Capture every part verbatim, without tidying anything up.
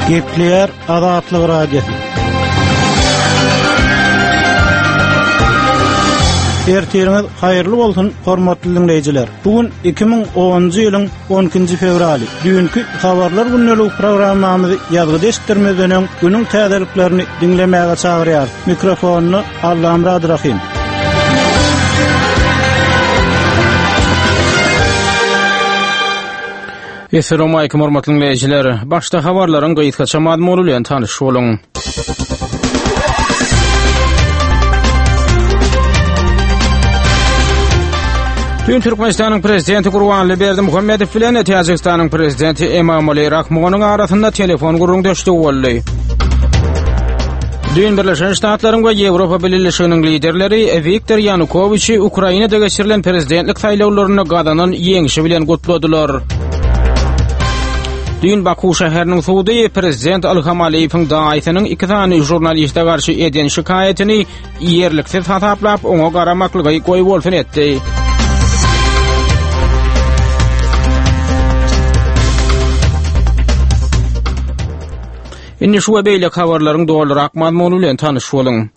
Gepleýär Azatlyk Radiosy. Ertiriňiz haýyrly bolsun, hormatly diňleýjiler. Bu gün iki müň onunjy ýylyň on ikinji fewraly. Düýnki habarlar gündelik programmamyzy ýazgyda eşitdirmezden öň günüň täzeliklerini diňlemäge çagyrýarys. Mikrofonda Allamyrat Rahim. Esselamu aleýkum hormatly dinleýjiler. Başda habarlaryň gysgaça mazmuny bilen tanyş boluň. Dün Türkmenistanyň Prezidenti Gurbanguly Berdimuhamedow bilen Täjigistanyň Prezidenti Emomali Rahmonyň arasynda telefon gürrüňdeşligi boldy. Dün Birleşen Ştatlaryň we Ýewropa Bileleşiginiň liderleri Wiktor Ýanukowiçi Ukrainada geçirilen prezidentlik saýlawlarynda gazanan ýeňşi bilen gutladylar. Dün Baku şäheriniň sudy Prezident Ilham Aliýewiň daýysynyň iki sany žurnaliste garşy eden şikaýatyny ýerliksiz hasaplap, oňa garamaklygy goýbolsun etdi. Indi şu we beýleki habarlaryň dolurak mazmuny bilen tanyş boluň.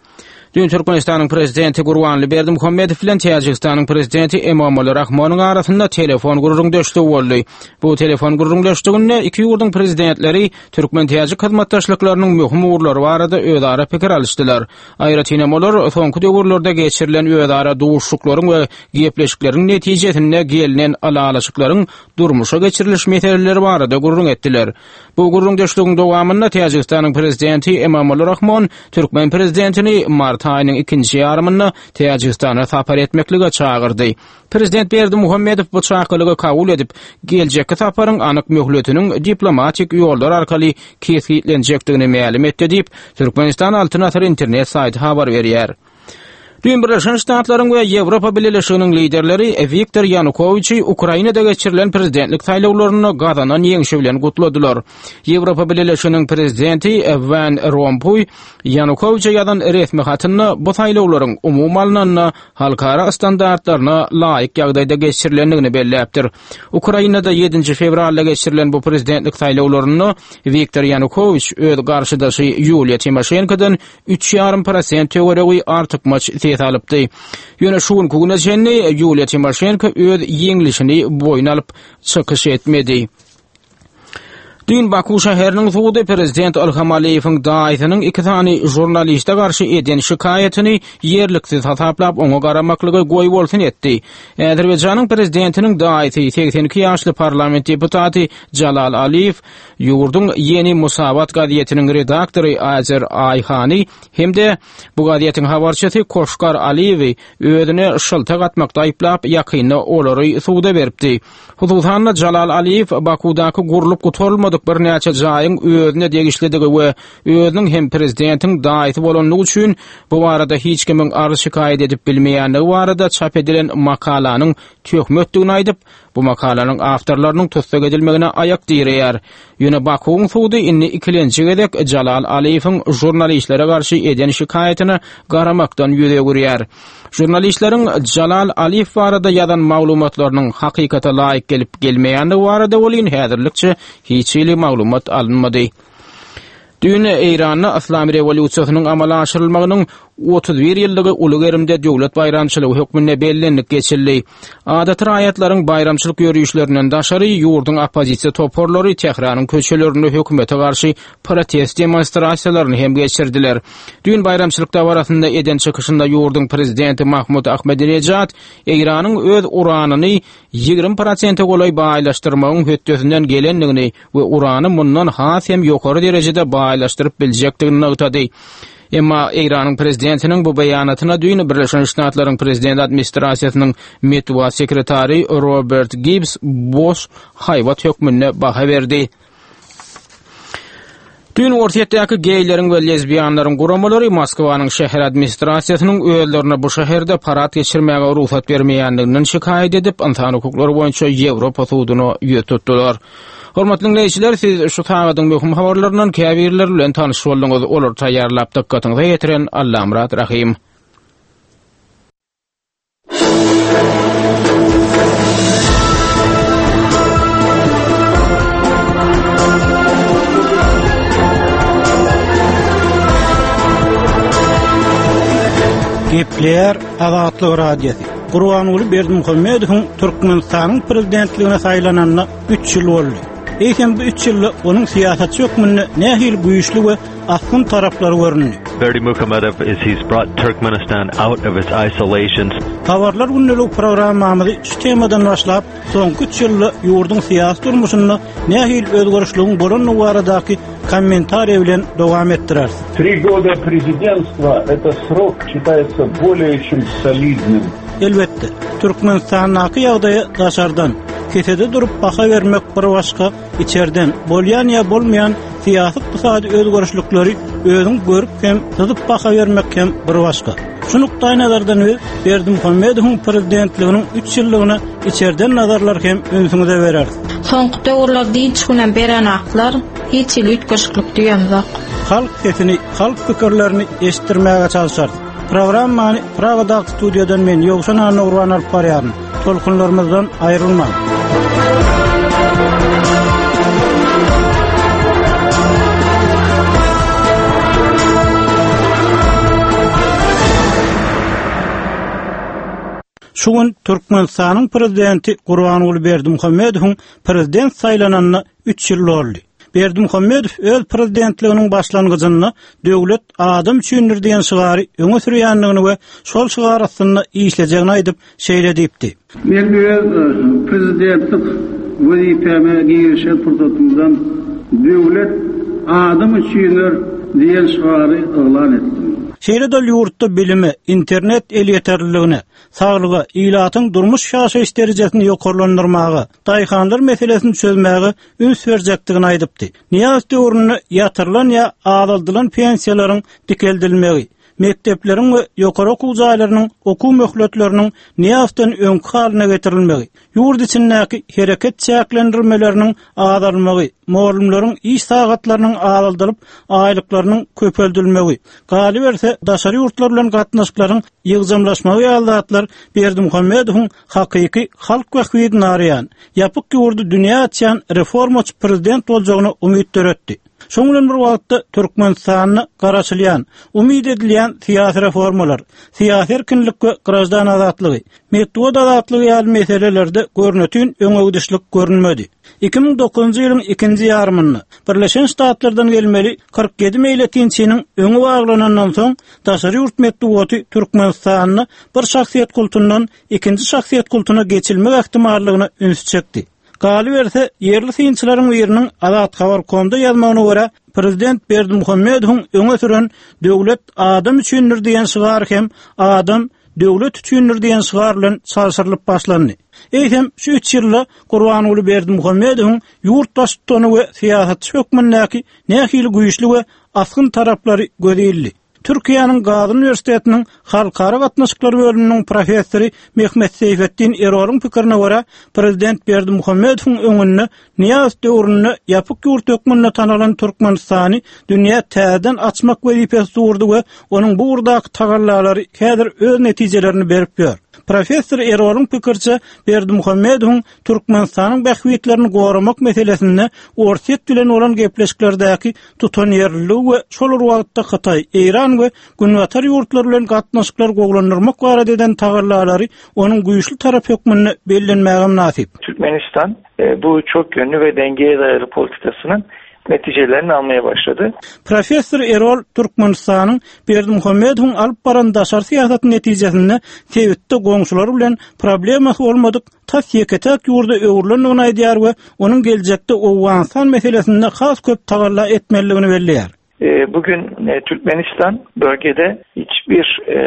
Dün Türkmenistanyň Prezidenti Gurbanguly Berdimuhamedow bilen Täjigistanyň Prezidenti Emomali Rahmonyň arasynda telefon gürrüňdeşligi boldy. Bu telefon gürrüňdeşliginde iki ýurduň prezidentleri türkmen-täjik hyzmatdaşlyklarynyň möhüm ugurlary barada özara pikir alyşdylar. Aýratynam olar soňky döwürlerde geçirilen özara duşuşyklaryň we gepleşikleriň netijesinde gelnen ylalaşyklaryň durmuşa geçiriliş meseleleri barada gürrüň etdiler. Bu gürrüňdeşligiň dowamynda Täjigistanyň Prezidenti Emomali Rahmon türkmen prezidentini mart aýynyň ikinji ýarymynda Täjigistana sapar etmeklige çagyrdy. Prezident Berdimuhamedow bu çakylygy kabul edip, geljekki saparyň anyk möhletiniň diplomatik ýollar arkaly kesgitlenjekdigini mälim etdi diýip, Türkmenistan Altyn Asyr internet saýty habar berýär. Dün Birleşen Ştatlaryň we Ýewropa Bileleşiginiň liderleri Wiktor Ýanukowiçi Ukrainada geçirilen prezidentlik saýlawlarynda gazanan ýeňşi bilen gutladylar. Ýewropa Bileleşiginiň prezidenti Van Rompuý Ýanukowiçe ýazan resmi hatynda bu saýlawlaryň umumy alnanda halkara standartlaryna laýyk ýagdaýda geçirilendigini belläpdir. Ukrainada ýedinji fewralda geçirilen bu prezidentlik saýlawlarynda Wiktor Ýanukowiç öz garşydaşy Ýuliýa Timoşenkodan üç ýarym prosent töweregi artykmaç ses alypdy. Ýöne şu günki güne çenli Ýuliýa Timoşenko öz ýeňlişini boýun alyp çykyş etmedi. Dün Baku şäheriniň sudy Prezident Ilham Aliýewiň daýysynyň iki sany žurnaliste garşy eden şikaýatyny ýerliksiz hasaplap, oňa garamaklygy goýbolsun etdi. Azerbaýjanyň prezidentiniň daýysy segsen iki ýaşly parlament deputaty Jalal Aliýew ýurduň Ýeni Musavat gazetiniň redaktory Azer Aýhany hem-de bu gazetiň habarçysy Koşkar Aliýewi özüne şyltak atmakda aýyplap, ýakynda olary suda beripdi. Hususan-da Jalal Aliýew Bakudaky gurlup gutarylmadyk birnäçe jaýyň özüne degişlidigi we özüniň hem prezidentiň daýysy bolandygy üçin bu barada hiç kimiň arz-şikaýat edip bilmeýändigi barada çap edilen makalanyň töhmetdigini aýdyp, bu makalanyň awtorlarynyň tussag edilmegine aýak direýär. Ýöne Bakuwyň sudy indi ikilenji gezek Jalal Aliýewiň žurnalistlere garşy eden şikaýatyna garamakdan ýüz öwürýär. Žurnalistleriň Jalal Aliýew barada ýazan maglumatlarynyň hakykata laýyk gelip gelmeýändigi barada welin häzirlikçe hiç hili maglumat alynmady. Düýn Eýranda Yslam rewolýusiýasynyň amala aşyrylmagynyň otuz bir ýyllygy uly gerimde döwlet baýramçylygy hökmünde bellenilip geçildi. Adaty raýatlaryň baýramçylyk ýörişlerinden daşary ýurduň oppozisiýa toparlary Tähranyň köçelerinde hökümete garşy protest demonstrasiýalaryny hem geçirdiler. Düýn baýramçylyk dabarasynda eden çykyşynda ýurduň prezidenti Mahmud Ahmedinejad Eýranyň öz uranyny ýigrimi prosente golaý baýlaşdyrmagyň hötdesinden gelendigini we urany mundan has hem ýokary derejede baýlaşdyryp biljekdigini nygtady. Emma Eýranyň prezidentiniň bu beýanatyna düýn Birleşen Ştatlaryň prezident administrasiýasynyň metbugat sekretary Robert Gibbs boş haýbat hökmünde baha berdi. Düýn Orsýetdäki geýleriň we lezbiýanlaryň guramalary Moskwanyň şäher administrasiýasynyň özlerine bu şäherde parad geçirmäge rugsat bermeýändiginden şikaýat edip, ynsan hukuklary boýunça Ýewropa suduna ýüz tutdular. Hormatly diňleýjiler, siz şu sagadyň möhüm habarlaryndan käbirleri bilen tanyş bolduňyz. Olary taýýarlap dykgatyňyza ýetiren Allamyrat Rahym. Gepleýär Azatlyk Radiosy. Gurbanguly Berdimuhamedowyň Türkmenistanyň prezidentligine saýlananyna üç ýyl boldy. Eýsem bu üç ýylda onuň syýasatçy hökmünde nähili güýçli we asgyn taraplary göründi. Berdimuhamedow is he's brought Turkmenistan out of its isolation. Habarlar gündelik programmamyzy şu temadan başlap, soňky üç ýylda ýurduň syýasy durmuşynda nähili özgerişligiň bolandygy baradaky kommentariý bilen dowam etdireris. Три года президентства – это срок считается более чем солидным. Elbetde, Türkmenistandaky ýagdaýy daşardan, kesede durup baha bermek bir başga, içerden bolýan ýa bolmaýan syýasy ykdysady özgerişlikleri özüň görüp hem syzyp baha bermek hem bir başga. Şu nukdaý nazardan biz Berdimuhamedowyň prezidentliginiň üç ýyllygyna içerden nazarlar hem ünsüňize bereris. Soňky döwürler dinç günem berenaklar, hiç hili üýtgeşiklik diýemzok. Halk sesini, halk pikirlerini eşitdirmäge çalışarys. Programmany Pragadaky studiýadan men Ýowşan Annagurban alyp barýaryn. Tolkunlarymyzdan aýrylmaň. Şu gün Türkmenistanyň prezidenti Gurbanguly Berdimuhamedowyň prezident saýlananyna üç ýyl boldy. Berdimuhamedow öz prezidentliginiň başlangyjynda döwlet adam üçindir diýen şygary öňe sürýändigini we şol şygar astynda işlejegini aýdyp şeýle diýipdi. Men öz prezidentlik wezipeme girişen pursatymdan döwlet adam üçindir diýen şygary yglan etdim. Şeýle-de ýurtda bilime, internet elýeterliligine, saglyga, ilatyň durmuş ýaşaýyş derejesini ýokarlandyrmaga, daýhanlar meselesini çözmäge üns berjekdigini aýdypdy. Niýaz döwründe ýatyrylan ýa azaldylan pensiýalaryň dikeldilmegi, mekdepleriň we ýokary okuw jaýlarynyň okuw möhletleriniň Niýazdan öňki halyna getirilmegi, ýurt içindäki hereket çäklendirmeleriniň azalmagy, mugallymlaryň iş sagatlarynyň azaldylyp, aýlyklarynyň köpeldilmegi, galyberse daşary ýurtlar bilen gatnaşyklaryň ýygjamlaşmagy ýaly zatlar Berdimuhamedowyň hakyky halk bähbidini araýan, ýapyk ýurdy dünýä açýan reformaçy prezident boljagyna umyt döretdi. Şoň bilen bir wagtda Türkmenistanda garaşylýan, umyt edilýän syýasy reformalar, syýasy erkinlik we graždan azatlygy, metbugat azatlygy ýaly meselelerde görnütün öňegidişlik görünmedi. Iki müň dokuzynjy ýylyň ikinji ýarymynda Birleşen Ştatlardan gelmeli kyrk ýedi meýletinçiniň öňi baglanandan soň daşary ýurt metbugaty Türkmenistanda bir şahsyýet kultundan ikinji şahsyýet kultuna geçilmek ähtimallygyna üns çekdi. Galyberse, ýerli synçylaryň biriniň Azat Habar.comda ýazmagyna görä, prezident Berdimuhamedowyň öňe süren döwlet adam üçindir diýen şygar hem adam döwlet üçindir diýen şygar bilen çalşyrylyp başlandy. Eýsem, şu üç ýylda Gurbanguly Berdimuhamedowyň ýurt baştutany we syýasatçy hökmündäki nähili güýçli we asgyn taraplary göz ildi. Türkiýäniň Gazi Üniwersitetiniň Halkara gatnaşyklary bölüminiň professory Mehmet Seyfettin Erolyň pikirine görä, prezident Berdimuhamedowyň öňünde Niýaz döwründe ýapyk ýurt hökmünde tanalan Türkmenistany dünýä täzeden açmak wezipesi durdy we onuň bu ugurdaky tagallalary häzir öz netijelerini berip ýör. Professor Erolyň pikirçe Berdimuhamedowyň Türkmenistanyň bähbitlerini goramak meselesinde Orsýet bilen bolan gepleşiklerdäki tutanýerliligi we şol bir wagtda Hytaý, Eýran we Günbatar ýurtlary bilen gatnaşyklar gowulandyrmak barada eden tagallalary onuň güýçli tarap hökmünde bellenmäge mynasyp. Türkmenistan, e, bu çok yönlü ve dengeye dayalı politikasının neticelerini almaya başladı. Professor Erol Türkmenistanyň Berdimuhamedowyň alyp baran daşary syýasat netijesinde sebitde goňşular bilen problemasy bolmadyk tas ýeke-täk ýurda öwrülendigini aýdýar we onuň geljekde Owganystan meselesinde has köp tagalla etmelidigini belleýär. E, bugün, e, Türkmenistan bölgede hiçbir, e,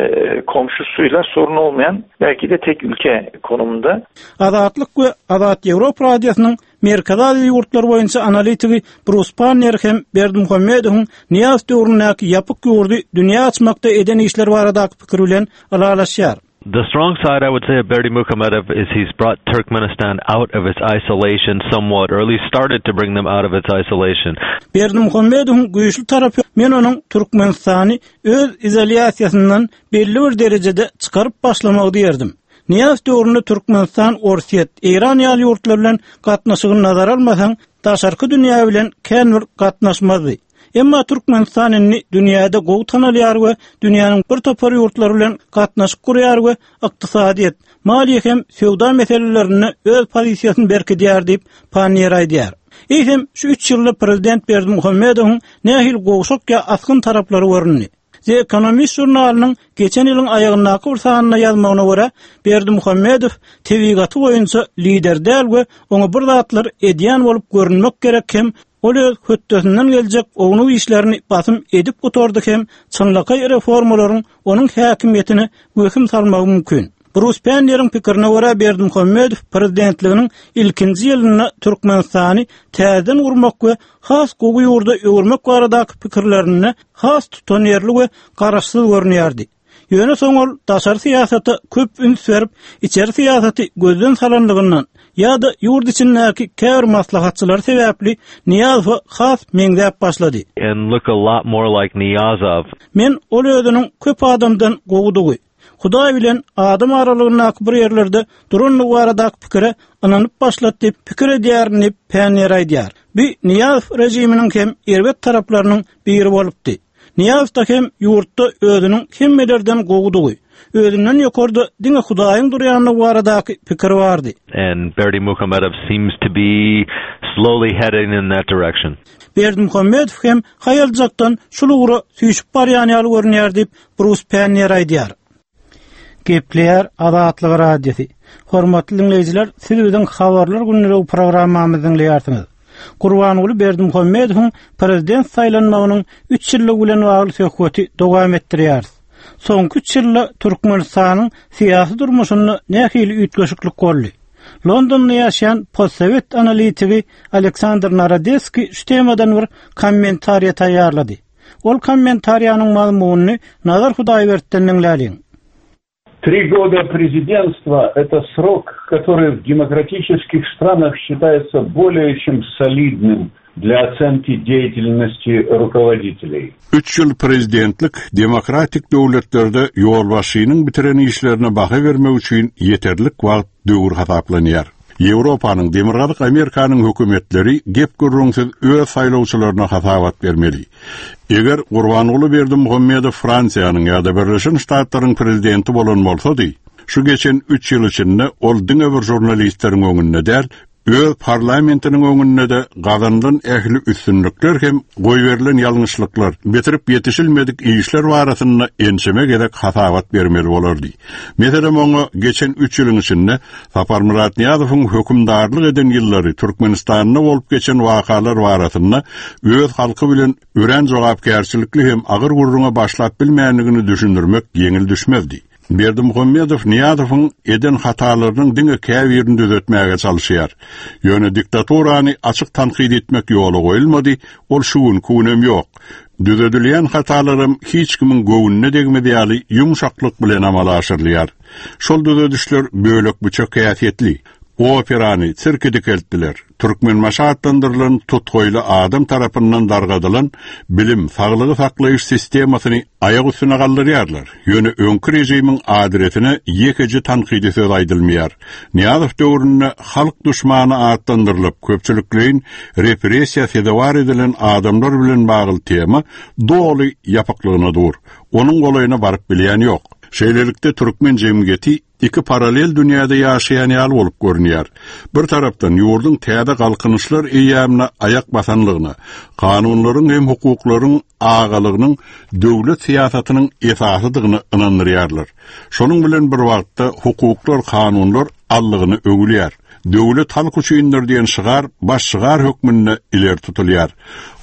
komşusuyla sorun olmayan belki de tek ülke konumunda. Azatlyk we Azat Ýewropa Radiosynyň Merkezi Aziýa ýurtlary boýunça analitigi Bruce Pannier hem Berdimuhamedowyň Niýaz döwründäki ýapyk ýurdy dünýä açmakda eden işler baradaky pikir bilen ylalaşýar. The strong side, I would say, of Berdimuhamedow is he's brought Turkmenistan out of its isolation somewhat, or at least started to bring them out of its isolation. Berdimuhamedowyň güýçli tarapy men onuň Türkmenistany öz izolýasiýasyndan belli bir derejede çykaryp başlamagy diýerdim. Niýaz döwründe Türkmenistan, Orsýet, Eýran ýaly ýurtlar bilen gatnaşygyny nazara almasaň, daşarky dünýä bilen kän bir gatnaşmazdy. Emma Türkmenistan indi dünýäde gowy tanalýar we dünýäniň bir topar ýurtlary bilen gatnaşyk gurýar we ykdysadyýet, maliýe hem söwda meselelerinde öz pozisiýasyny berkidýär diýip Panniýer aýdýar. Eýsem şu üç ýylda prezident Berdimuhamedowyň nähili gowşak ýa asgyn taraplary göründi? The Economist žurnalynyň geçen ýylyň aýagyndaky bir sanynda ýazmagyna görä, Berdimuhamedow tebigaty boýunça lider däl we oňa bir zatlar edýän bolup görünmek gerek hem ol öz hötdesinden geljek ownuk işlerini basym edip gutardy hem çynlakaý reformalaryň onuň häkimiýetine wehim salmagy mümkin. Brus Panniýeriň pikirine görä Berdimuhamedow prezidentliginiň ilkinji ýylynda Türkmenistany täzeden gurmak we has gowy ýurda öwürmek baradaky pikirlerinde has tutanýerli we garaşsyz görünýärdi. Ýöne soň ol daşary syýasata köp üns berip, içeri syýasaty gözden salanlygyndan ýa-da ýurt içindäki käbir maslahatçylar sebäpli Nyýazowa has meňzäp başlady. And look a lot more like Niyazov. Men ol özüniň köp adamdan gowudygy, Hudaý bilen adam aralygyndaky bir ýerlerde durandygy baradaky pikire ynanyp başlady diýip pikir edýärin diýip Panniýer aýdýar. Bu Nyýazow režiminiň hem erbet taraplarynyň biri bolupdy. Nyýazow da hem ýurtda özüniň hemmelerden gowudygy, özünden ýokarda diňe Hudaýyň durýandygy baradaky pikir bardy. And Berdimuhamedov seems to be slowly heading in that direction. Berdimuhamedow hem haýaljakdan şul ugra süýşüp barýan ýaly görünýär diýip Brus Panniýer aýdýar. Gepleýär Azatlyk Radiosy. Hormatly dinleýjiler, siz biziň habarlar günlügi programmamyzy diňleýärsiňiz. Gurbanguly Berdimuhamedowyň prezident saýlanmagynyň üç ýyllygy bilen bagly söhbeti dowam etdirýäris. Soňky üç ýylda Türkmenistanyň syýasy durmuşynda nähili üýtgeşiklik boldy? Londonda ýaşaýan postsowet analitigi Aleksandr Narodeskiý şu temadan bir kommentariýa taýýarlady. Ol kommentariýanyň mazmunyny Nazar Hudaýberdi'den diňläliň. Три года президентства – это срок, который в демократических странах считается более чем солидным для оценки деятельности руководителей. Üç ýyl prezidentlik demokratik döwletlerde ýolbaşçynyň bitiren işlerine baha bermek üçin ýeterlik wagt döwür hasaplanýar. Ýewropanyň, Demirgazyk Amerikanyň hökümetleri gep gürrüňsiz öz saýlawçylaryna hasabat bermeli. Eger Gurbanguly Berdimuhamedow Fransiýanyň ýa-da Birleşen Ştatlaryň prezidenti bolan bolsady, şu geçen üç ýyl içinde ol diňe bir žurnalistleriň öňünde däl, öz parlamentiniň öňünde de gazanylan ähli üstünlikler hem goýberilen ýalňyşlyklar, bitirip ýetişilmedik işler barasynda ençeme gezek hasabat bermeli bolardy. Meselem oňa geçen üç ýylyň içinde Saparmyrat Nyýazowyň hökümdarlyk eden ýyllary Türkmenistanda bolup geçen wakalar barasynda öz halky bilen örän jogapkärçilikli hem agyr gürrüňe başlap bilmändigini düşündirmek ýeňil düşmezdi. Berdimuhamedow Nyýazowyň eden hatalarynyň diňe käbirini düzetmäge çalışýar. Ýöne diktaturany açyk tankyt etmek ýola goýulmady, ol şu günki günem ýok. Düzedilýän hatalaram hiç kimiň göwnüne degmez ýaly ýumşaklyk bilen amala aşyrylýar. Şol düzedişler bölek-büçek häsiýetli. Operany sirke dikeltdiler. Türkmenbaşy atlandyrylan tutgoýly adam tarapyndan dargadylan bilim, saglygy saklaýyş sistemasyny aýak üstüne galdyrýarlar. Ýöne öňki režimiň adresine ýekeje tankydy söz aýdylmaýar. Nyýazow döwründe halk duşmany atlandyrylyp, köpçülikleýin repressiýa sezewar edilen adamlar bilen bagly tema doly ýapyklygyna dur. Onuň golaýyna baryp bilýän ýok. Şeýlelikde türkmen jemgyýeti iki paralel dünýäde ýaşaýan ýaly bolup görünýär. Bir tarapdan ýurduň täze galkynyşlar eýýämine aýak basanlygyna, kanunlaryň hem hukuklaryň agalygynyň döwlet syýasatynyň esasydygyny ynandyrýarlar. Şonuň bilen bir wagtda hukuklar, kanunlar allygyny öwülýär. Döwlet halk üçindir diýen şygar baş şygar hökmünde ileri tutulýar.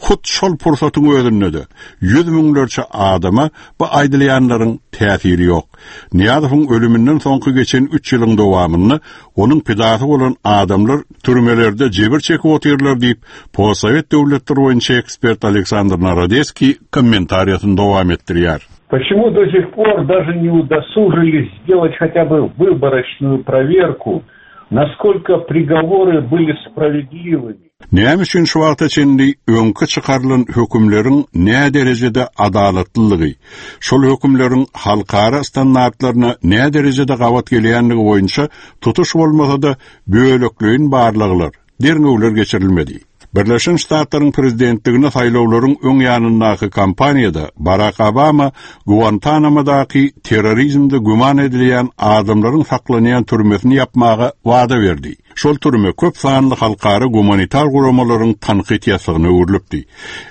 Hut şol pursatyň özünde-de ýüz müňlerçe adama bu aýdylýanlaryň täsiri ýok. Nyýazowyň ölüminden soňky geçen üç ýylyň dowamynda onuň pidasy bolan adamlar türmelerde jebir çekip otyrlar diýip, postsowet döwletler boýunça ekspert Aleksandr Narodeskiý kommentariýasyny dowam etdirýär. Почему до сих пор даже не удосужились сделать хотя бы выборочную проверку, насколько приговоры были справедливыми? Näme üçin şu wagta çenli öňki çykarylan hökümleriň nä derejede adalatlylygy, şol hökümleriň halkara standartlaryna nä derejede gabat gelýänligi boýunça tutuş bolmasa-da bölekleýin barlaglar, derňewler geçirilmedi. Birleşen Ştatlaryň prezidentligine saýlawlaryň öň ýanyndaky kampaniýada Barak Obama Guantanamadaky terrorizmde güman edilýän adamlaryň saklanýan türmesini ýapmaga wada berdi. Şol türme köp sanly halkara gumanitar guramalaryň tankyt ýasygyna öwrülipdi.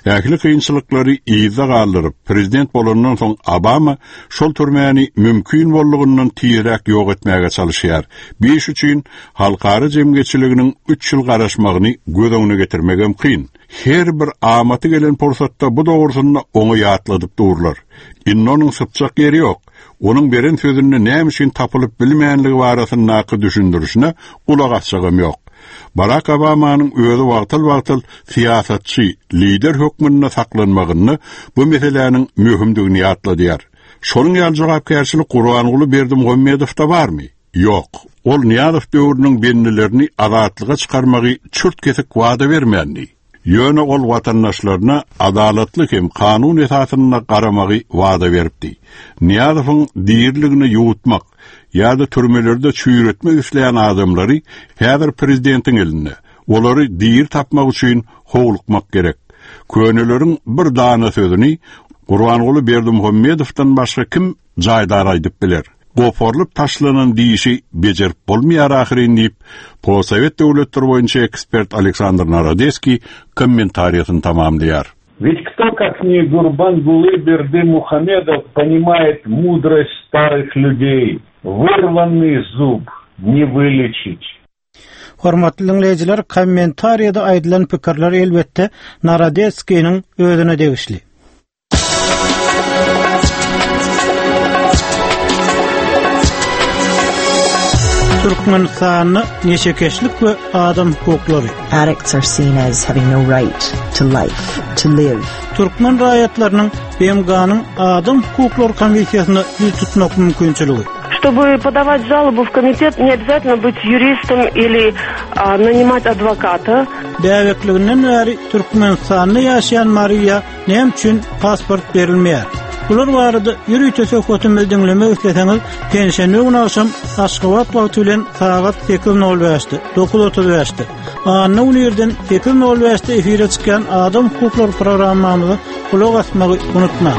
Ähli kynçylyklary yzda galdyryp, prezident bolandan soň Obama şol türmäni mümkin boldugyndan tizräk ýok etmäge çalışýar. Bir üçin halkara jemgyýetçiliginiň üç ýyl garaşmagyny göz öňüne getirmegem kyn. Her bir amaty gelen pursatda bu dogrusynda oňa ýatladyp durlar. Indi onuň sypjak ýeri ýok. Onuň beren sözünde näme üçin tapylyp bilmänligi barasyndaky düşündirişine gulak asjagam ýok. Barack Obamanyň özi wagtal-wagtal syýasatçy, lider hökmünde saklanmagyny bu meseläniň möhümdigini ýatladýar. Şonuň ýaly jogapkärçilik Gurbanguly Berdimuhamedowda barmy? Ýok. Ol Nyýazow döwrüniň bendilerini azatlyga çykarmagy çürt kesik wada bermändi. Ýöne ol watandaşlaryna adalatly hem kanun esasynda garamagy wada beripdi. Nyýazowyň diriligini ýuwutmak ýa-da türmelerde çüýretmek isleýän adamlary häzir prezidentiň elinde. Olary diri tapmak üçin howlukmak gerek. Köneleriň bir dana sözüni Gurbanguly Berdimuhamedowdan başga kim jaýdar aýdyp biler? Goparlyp taşlanan dişi bejerip bolmaýar ahyryn diýip, Postsowet döwletleri boýunça ekspert Aleksandr Narodeskiý kommentariýasyny tamamlaýar. Ведь кто, как не Гурбангулы Бердымухамедов, понимает мудрость старых людей? Вырванный зуб не вылечить. Hormatly dinleýjiler, kommentariýada aýdylan pikirler elbetde Narodeskiniň özüne degişli. Türkmenistanda neşekeşlik we adam hukuklary. Addicts are seen as having no right to life, to live. Türkmen raýatlarynyň B M G-nyň Adam hukuklary komissiýasyna ýüz tutmak mümkinçiligi. Чтобы подавать жалобу в комитет, не обязательно быть юристом или, а, нанимать адвоката. Bäbekliginden bäri Türkmenistanda ýaşaýan Mariýa näme üçin pasport berilmeýär? Bular barada ýörite söhbetimizi diňlemek isleseňiz, penşenbe güni agşam Aşgabat wagty bilen sagat sekiz nol bäşde, dokuz otuz bäşde, anna güni irden sekiz nol bäşde efire çykýan Adam hukuklary programmamyza gulak asmagy unutmaň.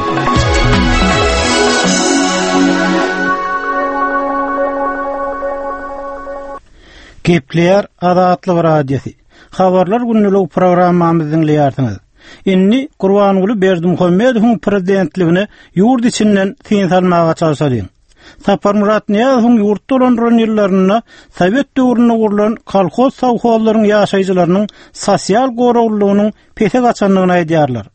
Gepleýär Azatlyk Radiosy. Habarlar günlük programmamyzy diňleýärsiňiz. Indi Gurbanguly Berdimuhamedowyň prezidentligine ýurt içinden syn salmaga çalşalyň. Saparmyrat Nyýazowyň ýurt dolandyran ýyllarynda Sowet döwründe gurlan kolhoz sowhozlaryň ýaşaýjylarynyň sosial goraglylygynyň pese gaçandygyny aýdýarlar.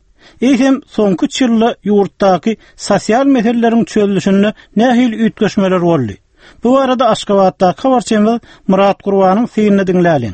Eýsem soňky üç ýylda ýurtdaky sosial meseleleriň çözülişinde nähili üýtgeşmeler boldy? Bu arada Aşgabatdaky habarçymyz Murat Gurbanyň synyny diňläliň.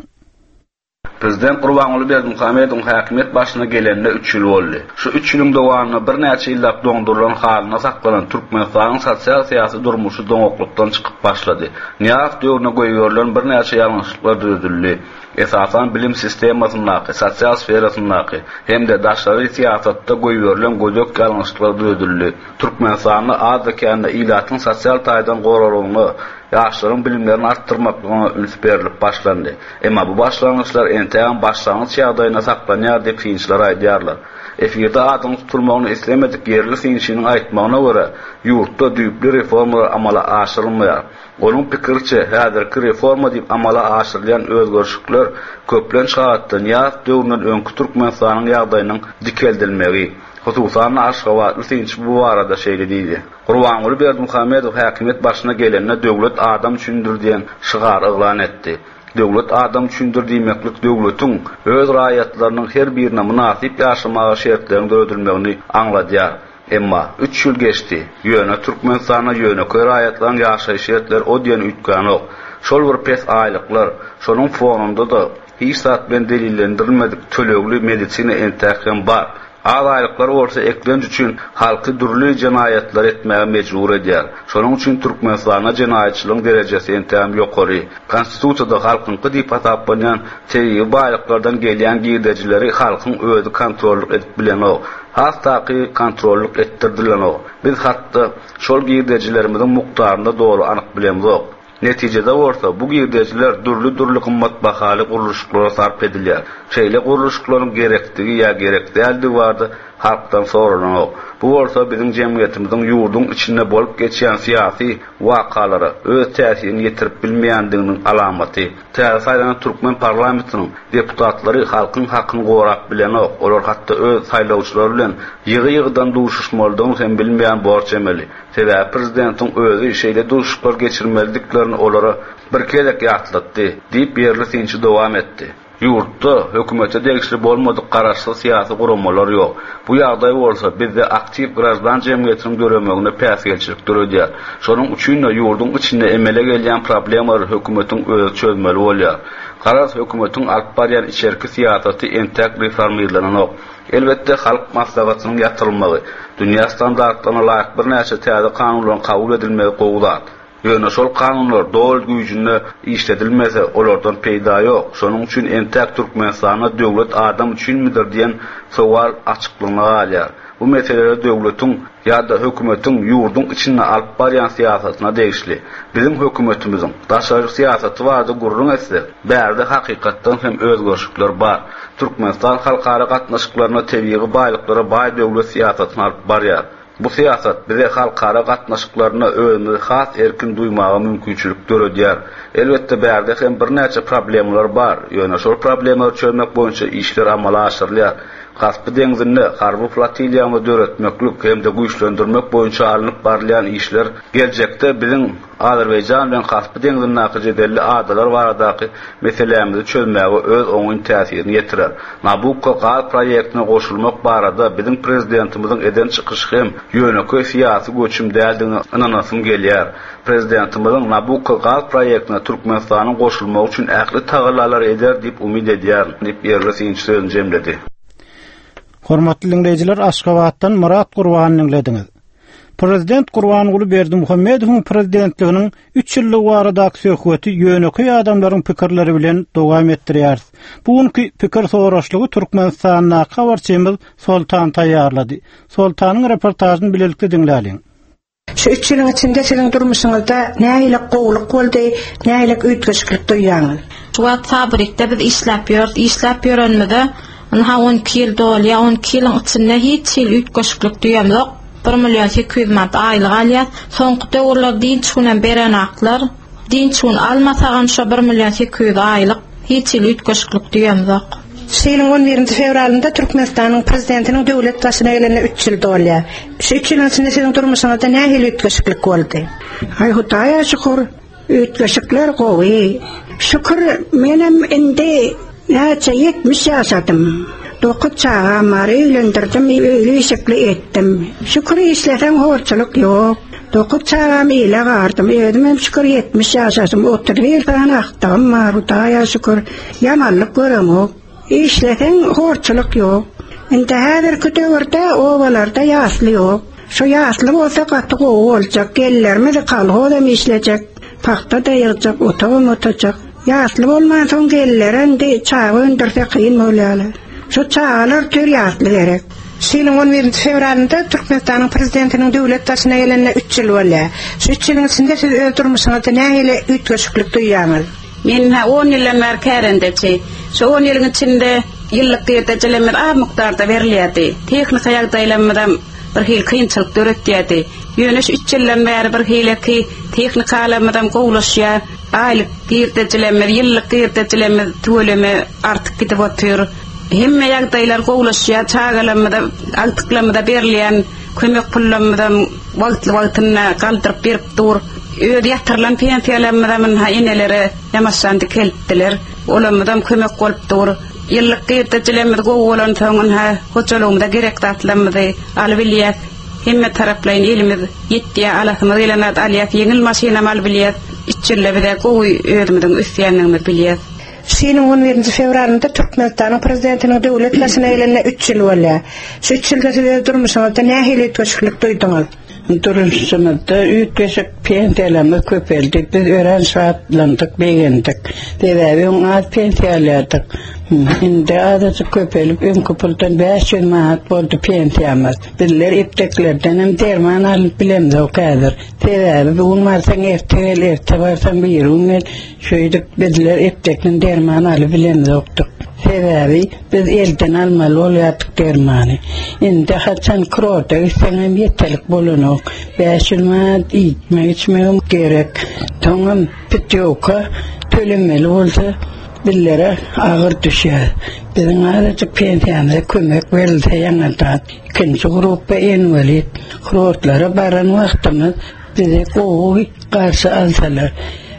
Prezident Gurbanguly Berdimuhamedowyň häkimiýet başyna gelenine üç ýyl boldy. Şu üç ýylyň dowamynda birnäçe ýyllap doňdurylan halyna saklanan Türkmenistanyň sosial syýasy durmuşy doňaklykdan çykyp başlady. Nyýazow döwrüne goýberilen birnäçe ýalňyşlyklar düzedildi. Esasan bilim sistemasyndaky, sosial sferasyndaky hem-de daşary syýasatda goýberilen gödek ýalňyşlyklar düzedildi. Türkmenistanda azda-kände ilatyň sosial taýdan goraglygyna, ýaşlaryň bilimlerini artdyrmaklygyna üns berilip başlandy. Emma bu başlangyçlar entägem başlangyç ýagdaýyna saklanýar diýip synçylar aýdýarlar. Efirde adyň tutulmagyny islemedik ýerli synçynyň aýtmagyna görä, ýurtda düýpli reformalar amala aşyrylmaýar. Onuň pikiriçe, häzirki reforma diýip amala aşyrylýan özgerişlikler köplenç halatda Nyýazow döwründen öňki Türkmenistanyň ýagdaýynyň dikeldilmegi. Hususan Aşgabatly synçy bu barada şeýle diýdi. Gurbanguly Berdimuhamedow häkimiýet başyna gelende döwlet adam üçindir diýen şygar yglan etdi. Döwlet adam üçindir diýmeklik döwletiň öz raýatlarynyň her birine mynasyp ýaşamaga şertlerini döredilmegini aňladýar. Emma üç ýyl geçdi. Ýöne Türkmenistanda ýönekeý raýatlaryň ýaşaýyş şertleri o diýen üýtgänok. Şol bir pes aýlyklar, şonuň fonunda da hiç zat bilen delillendirilmedik tölegli medisina entäk hem bar. Az aýlyklar bolsa eklenç üçin halky dürli jenaýatlar etmäge mejbur edýär. Şonuň üçin Türkmenistanda jenaýatçylygyň derejesi entäm ýokary. Konstitusiýada halkyňky diýip hasaplanýan tebigy baýlyklardan gelýän girdejileri halkyň özi kontrollyk edip bilenok. Has taky kontrollyk etdirdilenok. Biz hatda şol girdejilerimiziň mukdaryny dogry anyk bilemzok. Netijede bolsa bu girdejiler dürli-dürli gymmat bahaly gurluşyklara sarp edilýär. Şeýle gurluşyklaryň gerekdigi ýa gerek däldigi barada halkdan soralanok. Bu bolsa biziň jemgyýetimiziň ýurduň içinde bolup geçýän syýasy wakalara öz täsirini ýetirip bilmeýändiginiň alamaty. Täze saýlanan türkmen parlamentiniň deputatlary halkyň hakyny gorap bilenok. Olar hatda öz saýlawçylary bilen ýygy-ýygydan duşuşmalydygyny hem bilmeýän borç emeli. Sebäbi prezidentiň özi şeýle duşuşyklar geçirmelidiklerini olara bir gezek ýatlatdy, diýip ýerli synçy dowam etdi. Ýurtda hökümete degişli bolmadyk garaşsyz syýasy guramalar ýok. Bu ýagdaý bolsa bizde aktiw graždan jemgyýetiniň döremegine päsgelçilik döredýär. Şonuň üçin-de ýurduň içinde emele gelýän problemalary hökümetiň özi çözmeli bolýar. Garaz hökümetiň alyp barýan içerki syýasaty entäk reformirlenenok. Elbetde halk maslahatynyň ýatyrylmagy, dünýä standartlaryna laýyk birnäçe täze kanunlaryň kabul edilmegi gowy zat. Ýöne şol kanunlar doly güýjünde işledilmese, olardan peýda ýok. Şonuň üçin entäk Türkmenistanda döwlet adam üçinmidir diýen sowal açyklygyna galýar. Bu meseleler döwletiň ýa-da hökümetiň ýurduň içinde alyp barýan syýasatyna degişli. Biziň hökümetimiziň daşary syýasaty barada gürrüň etsek, bärde hakykatdan hem özgerişlikler bar. Türkmenistan halkara gatnaşyklaryna tebigy baýlyklara baý döwlet syýasatyny alyp barýar. Bu syýasat bize halkara gatnaşyklaryna özümizi has erkin duýmaga mümkinçilik döredýär. Elbetde bärde hem birnäçe problemler bar. Ýöne şol problemleri çözmek boýunça işler amala aşyrylýar. Kaspi deňzinde harby flotiliýany döretmeklik hem-de güýçlendirmek boýunça alnyp barylýan işler geljekde biziň Azerbaýjan bilen Kaspi deňzindäki jedelli adalar baradaky meselämizi çözmäge öz oňyn täsirini ýetirer. Nabukko gaz proýektine goşulmak barada biziň prezidentimiziň eden çykyşy hem ýönekeý syýasy göçüm däldigine ynanasym gelýär. Prezidentimiziň Nabukko gaz proýektine Türkmenistanyň goşulmagy üçin ähli tagallalary eder diýip umyt edýär, diýip ýerli synçy sözüni jemledi. Hormatly dinleýjiler, Aşgabatdan Murat Gurbany dinlediňiz. Prezident Gurbanguly Berdimuhamedowyň prezidentliginiň üç ýyllygy baradaky söhbeti ýönekeý adamlaryň pikirleri bilen dowam etdirýäris. Bu günki pikir soraşlygy Türkmenistandaky habarçymyz Soltan taýýarlady. Soltanyň reportažyny bilelikde diňläliň. Şu üç ýylyň içinde siziň durmuşyňyzda nähili gowulyk boldy, nähili üýtgeşiklik duýýaňyz? Şu wagt fabrikde biz işläp ýörüs, işläp ýörenimize ynha on iki ýyl dolýar, on iki ýylyň içinde hiç hili üýtgeşiklik duýamzok. bir million sekiz ýüz manat aýlyk alýar. Soňky döwürler dinç günem berenaklar. Dinç gün almasagam şo bir million sekiz ýüz aýlyk hiç hili üýtgeşiklik duýamzok. Şu ýylyň on birinji fewralynda Türkmenistanyň prezidentiniň döwlet başyna gelenine üç ýyl dolýar. Şu üç ýylyň içinde siziň durmuşyňyzda nähili üýtgeşiklik boldy? Ay Hudaýa şükür, üýtgeşikler gowy. Şükür, menem indi näçe ýetmiş ýaşadym. Dokuz çagam bar, öýlendirdim, öýli işikli etdim. Şükür işlesen horçuluk ýok. Dokuz çagam ile gardym, özüm hem şükür ýetmiş ýaşasym, otuz bir sany agtygym bar, Hudaýa şükür, ýamanlyk göremok. Işlesen horçuluk ýok. Indi häzirki döwürde obalarda ýasly ýok. Şu ýasly bolsa gaty gowy boljak, gellerimizi kolhoz hem işlejek, pagta da ýygjak, otagam otacak. Ýasly bolman soň geller indi çaga öndürse kyn bolýarlar. Şu çagalar tür ýasly gerek. Şu ýylyň on birinji fewralynda Türkmenistanyň prezidentiniň döwlet başyna gelenine üç ýyl bolýar. Şu üç ýylyň içinde siz öz durmuşyňyzda nähili üýtgeşiklik duýýaňyz? Men ha on ýyldan bäri kärendeçi. Şu on ýylyň içinde ýyllyk girdejilerimiz az mukdarda berilýärdi. Tehnika ýagdaýlarymyzam bir hil kynçylyk döretýärdi. Ýöne şu üç ýyldan bäri bir hileki tehnikalarymyzam gowlaşýar. Aýlyk girdejilerimiz, ýyllyk girdejilerimiz tüweleme artyk gidip otyr. Hemme ýagdaýlar gowlaşýar, çagalarymyza, agtyklarymyza berilýän kömek pullarymyzam wagtly-wagtynda galdyryp berip dur. Öz ýatyrylan pensiýalarymyzam ha enelere ýamaşan dikeltdiler. Olarymyzam kömek bolup dur. Ýyllyk girdejilerimiz gowy bolansoň ha hojalygymyza gerek zatlarymyzy alyp bilýäs. Hemme taraplaýyn elimiz ýetýär, alasymyz gelen zat alýas, ýeňil maşynam alyp bilýäs. Üç ýylda bize gowy özümiziň ösýändigimizi bilýäs. Şu ýylyň on birinji fewralynda Türkmenistanyň prezidentiniň döwlet başyna gelenine üç ýyl bolýar. Şu üç ýylda siz öz durmuşyňyzda nähili üýtgeşiklik duýduňyz? Durmuşymyzda üýtgeşik pensiýalarymyz köpeldi. Biz örän şatlandyk, begendik. Sebäbi öň az pensiýa alýardyk. Indi azajyk köpelip, öňki puldan bäş ýüz manat boldy pensiýamyz. Bizler epteklerden hem derman alyp bilemzok häzir. Sebäbi bu gün barsaň erte gel, erte barsaň birigün gel. Şeýdip bizler eptekden derman alyp bilemzokdyk. Sebäbi biz elden almaly bolýardyk dermany. Indi haçan kurorta gitseň hem ýeterlik bolanok. Bäş ýüz manat iýmek içmegem gerek. Soňam putýowka tölemeli bolsa bizlere agyr düşýär. Biziň azajyk pensiýamyza kömek berilse ýaňadan. Ikinji gruppa inwalid. Kurortlara baran wagtymyz bizi gowy garşy alsalar.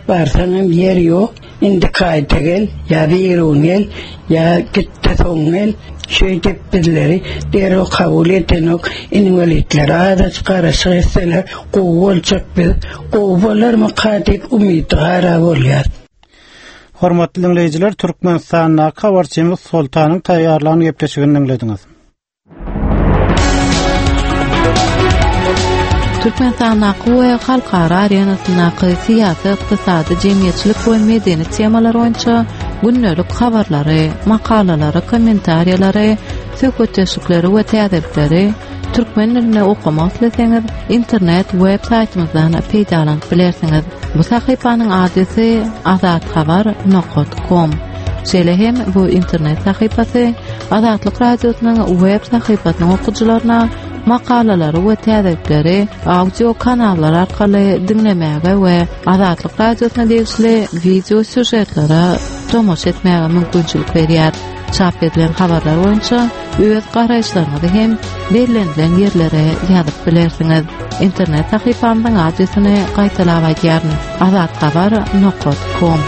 Barsaň hem ýer ýok. Indiki aýda gel, ýa birigün gel, ýa git-de soň gel. Şeýdip bizleri derrew kabul edenok. Inwalidlere azajyk garaşyk etseler gowy boljak biz. Gowy bolarmyka diýip umydygara bolýar. Hormatly diňleýjiler, Türkmenistandaky habarçymyz Soltanyň taýýarlan gepleşigini diňlediňiz. Türkmenistandaky we halkara arenasyndaky syýasy, ykdysady, jemgyýetçilik we medeni temalar boýunça gündelik habarlary, makalalary, kommentariýalary, söhbetdeşlikleri we täzelikleri türkmen dilinde okamak isleseňiz, internet web saýtymyzdan peýdalanyp bilersiňiz. Bu sahypanyň adresi azathabar nokta com. Şeýle hem bu internet sahypasy Azatlyk Radiosynyň web sahypasynyň okyjylaryna makalalary we täzelikleri audio kanallar arkaly diňlemäge we Azatlyk Radiosyna degişli wideo sýužetlere tomaşa etmäge mümkinçilik berýär. Çap edilen habarlar boýunça öz garaýyşlaryňyzy hem bellenilen ýerlere ýazyp bilersiňiz. Internet sahypamyzyň adresini gaýtalap aýdýaryn: azathabar nokta com.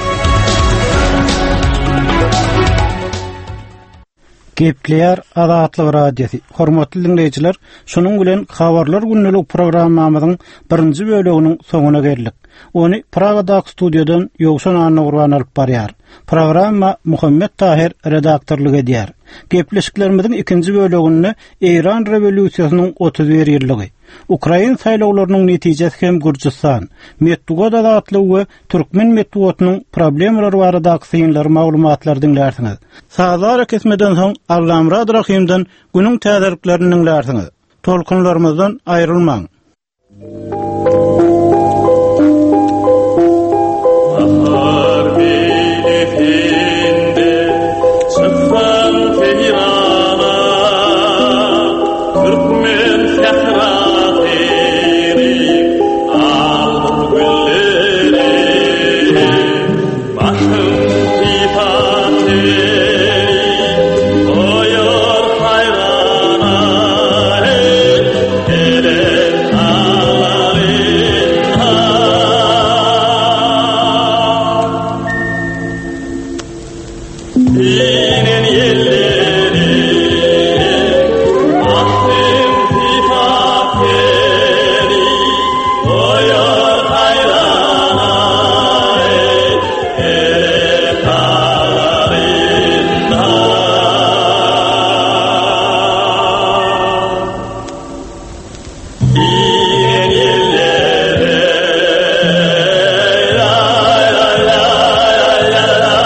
Gepleýär Azatlyk Radiosy. Hormatly diňleýjiler, şunuň bilen habarlar gündelik programmamyzyň birinji böleginiň soňuna geldik. Ony Pragadaky studiýadan Ýowşan Annagurban alyp barýar. Programma Muhammet Tahir redaktorlyk edýär. Gepleşiklerimiziň ikinji böleginde Eýran rewolýusiýasynyň otuz bir ýyllygy, Ukrain saýlawlarynyň netijesi hem Gürjüstan, metbugat azatlygy we türkmen metbugatynyň problemalary baradaky synlary maglumatlary diňlärsiňiz. Sazlar kesmeden soň Allamurad Rahimden günüň täzeliklerini diňlärsiňiz. Tolkunlarymyzdan aýrylmaň. Bahar meýlisinde çyksaň seýrana, Türkmen sährasyny aldyr gülleri. Başym sypat goýar haýrana, Eren alarynha. Inen ýelleri, başym sypat goýar haýrana, Eren alarynha. Inen ýelleri, la la la la la,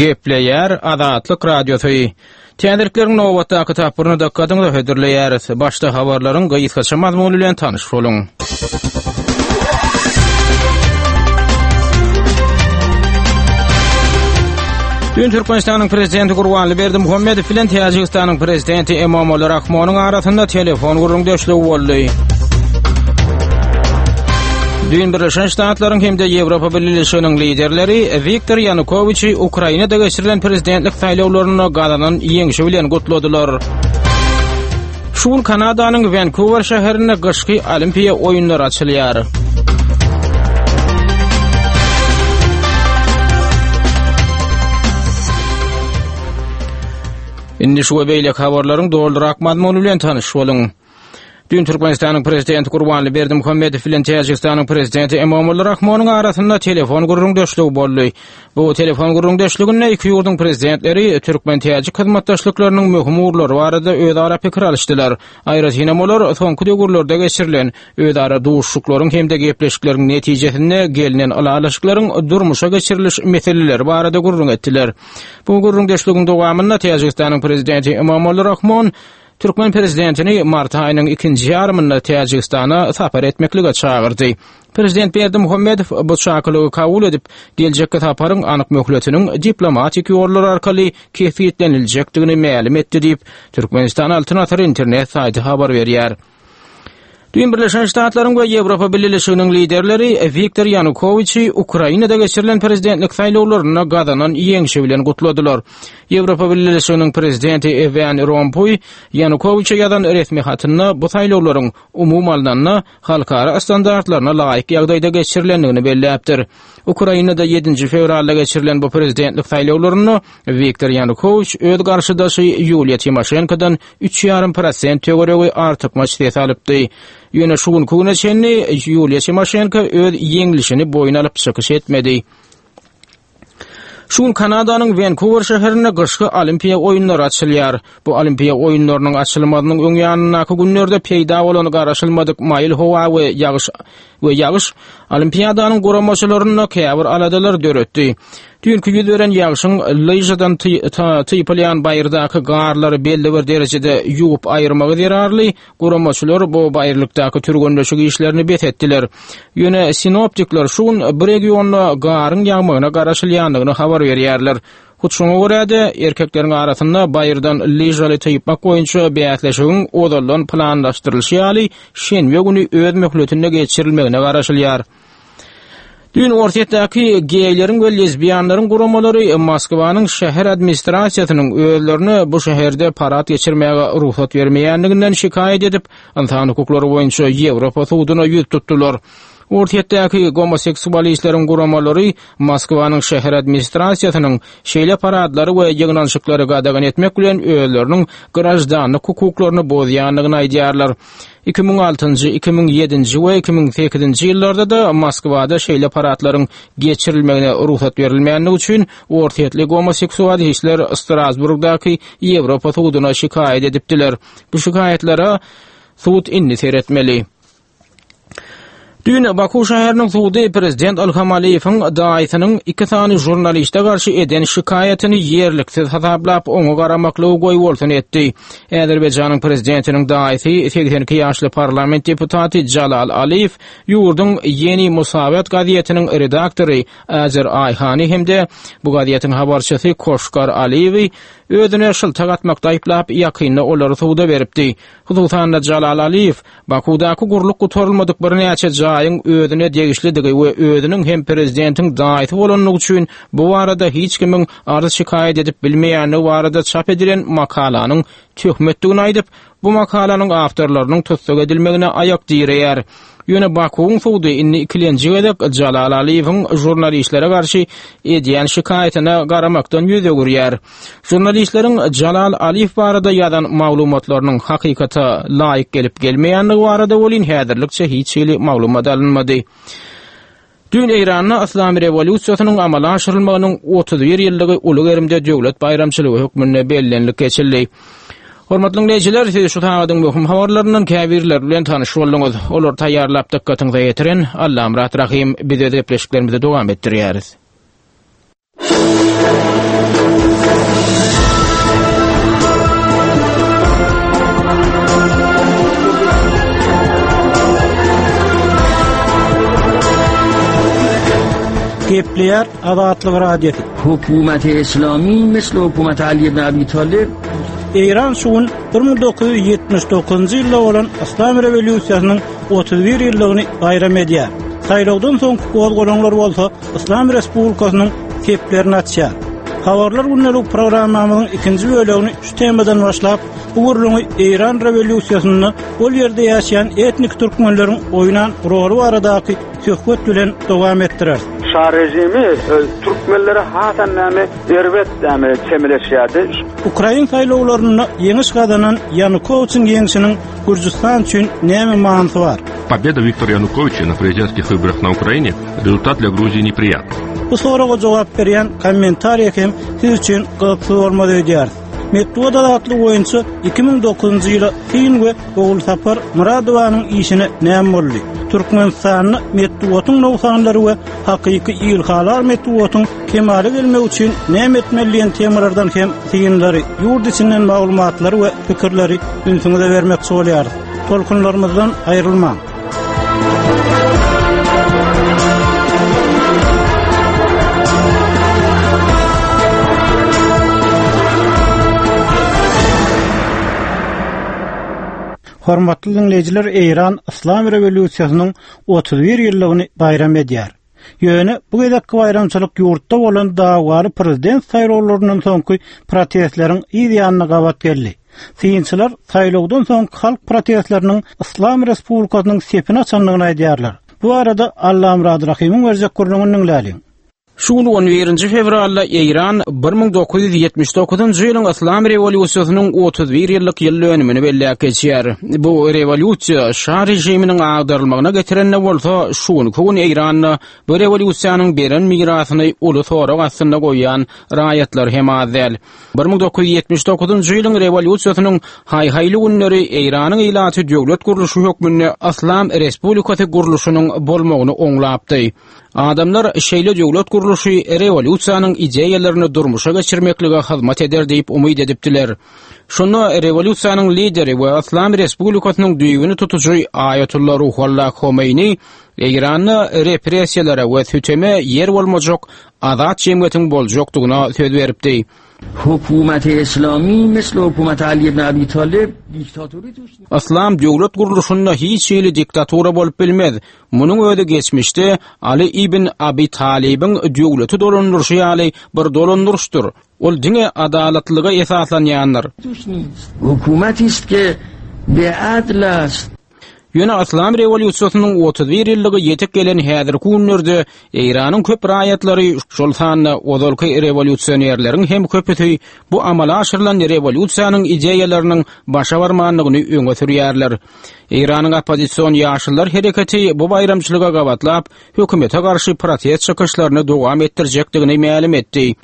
Gepleýär Azatlyk Radiosy. Täzelikleriň nobatdaky tapgyryny dykgatyňyza hödürleýäris. Başda habarlaryň gysgaça mazmuny bilen tanyş boluň. Dün Türkmenistanyň Prezidenti Gurbanly Berdimuhamedow bilen Täjigistanyň Prezidenti Emomali Rahmonyň arasynda telefon gürrüňdeşligi boldy. Düýn Birleşen Ştatlaryň hem-de Ýewropa Bileleşiginiň liderleri Wiktor Ýanukowiçi Ukrainada geçirilen prezidentlik saýlawlarynda gazanan ýeňşi bilen gutladylar. Şu gün Kanadanyň Wenkuwer şäherinde gyşky Olimpiýa oýunlary açylýar. Indi şu we beýleki habarlaryň dolurak mazmuny bilen tanyş boluň. Düýn Türkmenistanyň Prezidenti Gurbanly Berdimuhamedow bilen Täjigistanyň Prezidenti Emomali Rahmonyň arasynda telefon gürrüňdeşligi boldy. Bu telefon gürrüňdeşliginde iki ýurduň prezidentleri türkmen-täjik hyzmatdaşlyklarynyň möhüm ugurlary barada özara pikir alyşdylar. Aýratynam olar soňky döwürlerde geçirilen özara duşuşyklaryň hem-de gepleşikleriň netijesinde gelnen ylalaşyklaryň durmuşa geçiriliş meseleleri barada gürrüň etdiler. Bu gürrüňdeşligiň dowamynda Täjigistanyň Prezidenti Emomali Rahmon Türkmen prezidentini mart aýynyň ikinji ýarymynda Täjigistana sapar etmeklige çagyrdy. Prezident Berdimuhamedow bu çakylygy kabul edip, geljekki saparyň anyk möhletiniň diplomatik ýollar arkaly kesgitleniljekdigini mälim etdi diýip, Türkmenistan Altyn Asyr internet saýty habar berýär. Düýn Birleşen Ştatlaryň we Ýewropa Bileleşiginiň liderleri Wiktor Ýanukowiçi Ukrainada geçirilen prezidentlik saýlawlarynda gazanan ýeňşi bilen gutladylar. Ýewropa Bileleşiginiň prezidenti Wan Rompuý Ýanukowiçe ýazan resmi hatynda bu saýlawlaryň umumy alnanda halkara standartlaryna laýyk ýagdaýda geçirilendigini belläpdir. Ukrainada ýedinji fewralda geçirilen bu prezidentlik saýlawlarynda Wiktor Ýanukowiç öz garşydaşy Ýuliýa Timoşenkodan üç ýarym prosent töweregi artykmaç ses alypdy. Ýöne şu günki güne çenli Ýuliýa Timoşenko öz ýeňlişini boýun alyp çykyş etmedi. Şu gün Kanadanyň Wenkuwer şäherinde gyşky Olimpiýa oýunlary açylýar. Bu Olimpiýa oýunlarynyň açylmazynyň öň ýanyndaky günlerde peýda bolan garaşylmadyk maýyl howa we ýagyş we ýagyş Olimpiadanyň guramaçylarynda käbir aladalar döretdi. Düýnki ýüz beren ýagşyň lyžadan typylýan baýyrdaky garlary belli bir derejede ýuwup aýyrmagy zerarly guramaçylar bu baýyrlykdaky türgenleşik işlerini bes etdiler. Ýöne sinoptikler şu gün bu regionda garyň ýagmagyna garaşylýandygyny habar berýärler. Hut şoňa görä-de, erkekleriň arasynda baýyrdan lyžaly typmak boýunça bäsleşigiň ozaldan planlaşdyrylyşy ýaly şenbe güni öz möhletinde geçirilmegine garaşylýar. Düýn Orsýetdäki geýleriň we lezbiýanlaryň guramalary Moskwanyň şäher administrasiýasynyň özlerine bu şäherde parad geçirmäge rugsat bermeýändiginden şikaýat edip, ynsan hukuklary boýunça Ýewropa suduna ýüz tutdular. Orsýetdäki gomoseksualistleriň guramalary Moskwanyň şäher administrasiýasynyň şeýle paradlary we ýygnanyşyklary gadagan etmek bilen özleriniň graždanlyk hukuklaryny bozýandygyny aýdýarlar. Iki müň altynjy, iki müň ýedinji we iki müň sekizinji ýyllarda-da Moskwada şeýle paradlaryň geçirilmegine rugsat berilmändigi üçin orsýetli gomoseksualistler Strasburgdaky Ýewropa suduna şikaýat edipdiler. Bu şikaýatlara sud indi seretmeli. Düýn Baku şäheriniň sudy prezident Ilham Aliýewiň daýysynyň iki sany žurnaliste garşy eden şikaýatyny ýerliksiz hasaplap, oňa garamaklygy goýbolsun etdi. Azerbaýjanyň prezidentiniň daýysy segsen iki ýaşly parlament deputaty Jalal Aliýew ýurduň Ýeni Musawat gazetiniň redaktory Azer Aýhany hem-de bu gazetiň habarçysy Koşkar Aliýewi özüne şyltak atmakda aýyplap, ýakynda olary suda beripdi. Hususan-da Jalal Aliýew Bakuwdaky gurlup gutarylmadyk birnäçe jaýyň özüne degişlidigi we özüniň hem prezidentiň daýysy bolandygy üçin bu barada hiç kimiň arz-şikaýat edip bilmeýändigi barada çap edilen makalanyň töhmetdigini aýdyp, bu makalanyň awtorlarynyň tussag edilmegine aýak direýär. Ýöne Bakuwyň sudy indi ikilenji gezek Jalal Aliýewiň žurnalistlere garşy edýän şikaýatyna garamakdan ýüz öwürýär. Žurnalistleriň Jalal Aliýew barada ýazan maglumatlarynyň hakykata laýyk gelip-gelmeýändigi barada welin häzirlikçe hiç hili maglumat alynmady. Düýn Eýranda Yslam rewolýusiýasynyň amala aşyrylmagynyň otuz bir ýyllygy uly gerimde döwlet baýramçylygy hökmünde bellenilip geçildi. Hormatly diňleýjiler, siz şu sagadyň möhüm habarlaryndan käbirleri bilen tanyş bolduňyz. Olary taýýarlap dykgatyňyza ýetiren Allamyrat Rahym. Biz öz gepleşiklerimizi dowam etdirýäris. Gepleýär Azatlyk Radiosy. Hökümeti Islami misli hökümeti Ali ibn Abi Talib. Eýran şu gün bir müň dokuz ýüz ýetmiş dokuzynjy ýylda bolan Yslam rewolýusiýasynyň otuz bir ýyllygyny baýram edýär. Saýlawdan soňky gozgalaňlar bolsa Yslam Respublikasynyň seplerini açýar. Habarlar gündelik programmamyzyň ikinji bölegini şu temadan başlap, bu gürrüňi Eýran rewolýusiýasynda ol ýerde ýaşaýan etnik türkmenleriň oýnan roly baradaky söhbet bilen dowam etdirer. Şa rejimi, e, türkmenlere hasan näme erbet näme çemeleşýärdi. Ukrain saýlawlarynda ýeňiş gazanan Ýanukowiçiň ýeňşiniň Gürjüstan üçin näme manysy bar? Победа Виктора Януковича на президентских выборах на Украине результат для Грузии неприятный. Bu soraga jogap berýän kommentariýa hem siz üçin gyzykly bolmaly öýdýär. Metbugat azatlygy boýunça iki müň dokuzynjy ýyla Sin we Ogulsapar Muradowanyň işine näme boldy? Türkmenistanda metbugatyň nogsanlary we hakyky ilhalar metbugatyň kemala gelmegi üçin näme etmeli diýen temalardan hem synlary, ýurt içinden maglumatlary we pikirleri ünsüňize bermekçi bolýarys. Tolkunlarymyzdan aýrylmaň. Hormatly dinleýjiler, Eýran Yslam rewolýusiýasynyň otuz bir ýyllygyny baýram edýär. Ýöne bu gezekki baýramçylyk ýurtda bolan dawgaly prezident saýlawlaryndan soňky protestleriň yz ýanyna gabat geldi. Synçylar saýlawdan soňky halk protestleriniň Yslam Respublikasynyň sepini açandygyny aýdýarlar. Bu arada Allamurad Rahymyň berjek gürrüňini diňläliň. Şu gün on birinji fewralda Eýran bir müň dokuz ýüz ýetmiş dokuzynjy ýylyň Yslam rewolýusiýasynyň otuz bir ýyllyk ýyl dönümini belläp geçýär. Bu rewolýusiýa şa režiminiň agdarylmagyna getirende bolsa, şu günki gün Eýranda bu rewolýusiýanyň beren mirasyny uly sorag astynda goýan raýatlar hem az däl. Bir müň dokuz ýüz ýetmiş dokuzynjy ýylyň rewolýusiýasynyň haý-haýly günleri Eýranyň ilaty döwlet gurluşy hökmünde Yslam Respublikasy gurluşynyň bolmagyny oňlapdy. Adamlar şeýle döwlet gurluşy rewolýusiýanyň ideýalaryny durmuşa geçirmeklige hyzmat eder diýip umyt edipdiler. Şunda rewolýusiýanyň lideri we Yslam Respublikasynyň düýbüni tutujy Aýatullah Ruhullah Homeýni Eýranda repressiýalara we süteme ýer bolmajak azat jemgyýetiň boljakdygyna söz beripdi. Hökümeti Islami misli hökümeti Ali ibn Abi Talib diktaturi tuş- Yslam döwlet gurluşynda hiç hili diktatura bolup bilmez. Munuň özi geçmişde Ali ibn Abi Talibiň döwleti dolandyryşy ýaly bir dolandyryşdyr. Ol diňe adalatlyga esaslanýandyr. Hökümeti ist ke be adl ast. Ýöne Yslam rewolýusiýasynyň otuz bir ýyllygy ýetip gelen häzirki günlerde Eýranyň köp raýatlary, şol sanda ozalky rewolýusionerleriň hem köpüsi bu amala aşyrylan rewolýusiýanyň ideýalarynyň başa barmandygyny öňe sürýärler. Eýranyň oppozision ýaşyllar hereketi bu baýramçylyga gabatlap, hökümete garşy protest çykyşlaryny dowam etdirjekdigini mälim etdi.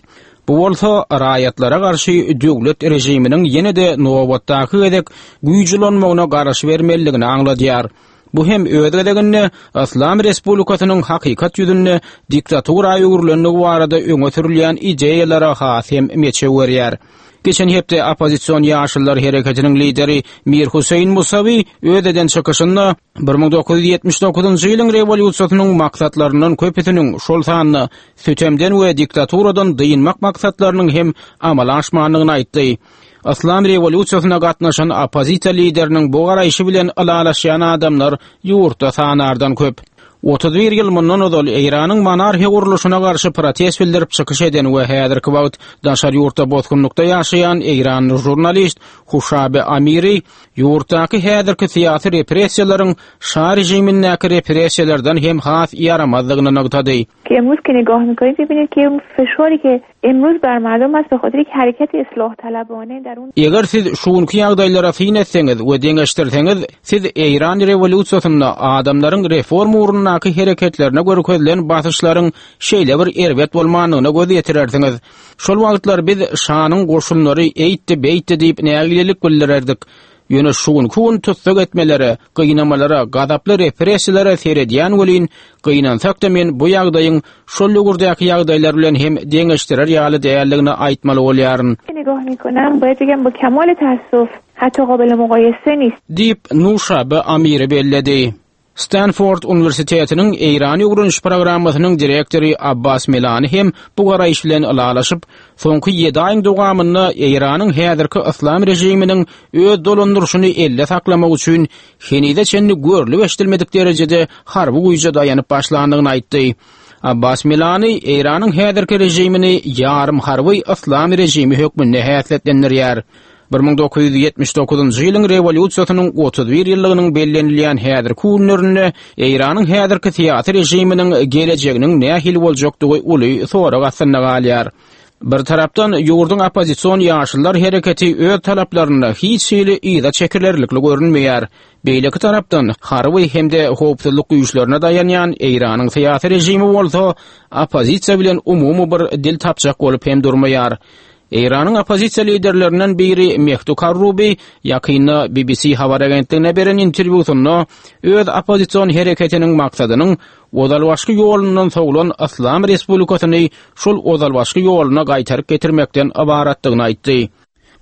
Bu bolsa raýatlara garşy döwlet režiminiň ýene-de nobatdaky gezek güýçlenmegine garaş bermelidigini aňladýar. Bu hem öz gezeginde Yslam Respublikasynyň hakykat ýüzünde diktatura öwrülendigi barada öňe sürülýän ideýalara has hem meçew berýär. Geçen hepde oppozision ýaşyllar hereketiniň lideri Mir Hüseýin Musawi öz eden çykyşynda bir müň dokuz ýüz ýetmiş dokuzynjy ýylyň rewolýusiýasynyň maksatlaryndan köpüsiniň, şol sanda sütemden we diktaturadan dynmak maksatlarynyň hem amala aşmandygyny aýtdy. Yslam rewolýusiýasyna gatnaşan oppozisiýa lideriniň bu garaýşy bilen ylalaşýan adamlar ýurtda sanardan köp. Otuz bir ýyl mundan ozal Eýranyň monarxiýa gurluşyna garşy protest bildirip çykyş eden we häzirki wagt daşary ýurtda bosgunlykda ýaşaýan Eýranly žurnalist Huşabe Amiri ýurtdaky häzirki syýasy repressiýalaryň şa režimindäki repressiýalardan hem has ýaramazdygyny nygtady. Ki emruz ki nigah می‌کنید می‌بینید که اون فشاری که امروز بر مردم است به خاطر یک حرکت اصلاح طلبانه در اون Eger siz şuňky ýagdaýlara syn etseňiz we deňeşdirseňiz, siz Eýran rewolýusiýasynda adamlaryň reform ugrundaky hereketlerine görkezilen basyşlaryň şeýle bir erbet bolmandygyna göz ýetirersiňiz. Şol wagtlar biz şanyň goşunlary eýtdi, beýtdi diýip nägilelik bildirerdik. Ýöne şu günki gün tussag etmelere, gynamalara, gazaply repressiýalara seredýän welin, gynansak-da men bu ýagdaýyň şol döwürdäki ýagdaýlar bilen hem deňeşdirer ýaly däldigini aýtmaly bolýaryn. نگاه میکنم باید بگم با کمال تاسف حتی قابل مقایسه نیست. Diýip, Nuşabe Amiri belledi. Stanford Uniwersitetiniň Eýran öwreniş programmasynyň direktory Abbas Milani hem bu garaýyş bilen ylalaşyp, soňky ýedi aýyň dowamynda Eýranyň häzirki yslam režiminiň öz dolandyryşyny elle saklamak üçin henize çenli görlüp eşidilmedik derejede harby güýje daýanyp başlandygyny aýtdy. Abbas Milani Eýranyň häzirki režimini ýarym harby yslam režimi hökmünde häsiýetlendirýär. bir müň dokuz ýüz ýetmiş dokuzynjy ýylyň rewolýusiýasynyň otuz bir ýyllygynyň bellenilýän häzirki günlerinde Eýranyň häzirki syýasy režiminiň gelejeginiň nähili boljakdygy uly sorag astynda galýar. Bir tarapdan ýurduň oppozision ýaşyllar hereketi öz talaplarynda hiç hili yza çekilerlikli görünmeýär. Beýleki tarapdan harby hem-de howpsuzlyk güýçlerine daýanýan Eýranyň syýasy režimi bolsa oppozisiýa bilen umumy bir dil tapjak bolup hem durmaýar. Eýranyň oppozisiýa liderlerinden biri Mehdi Karrubi ýakynda B B C habar agentligine beren interwýusynda öz oppozision hereketiniň maksadynyň ozalbaşky ýolundan sowulan Yslam Respublikasyny şol ozalbaşky ýoluna gaýtaryp getirmekden ybaratdygyny aýtdy.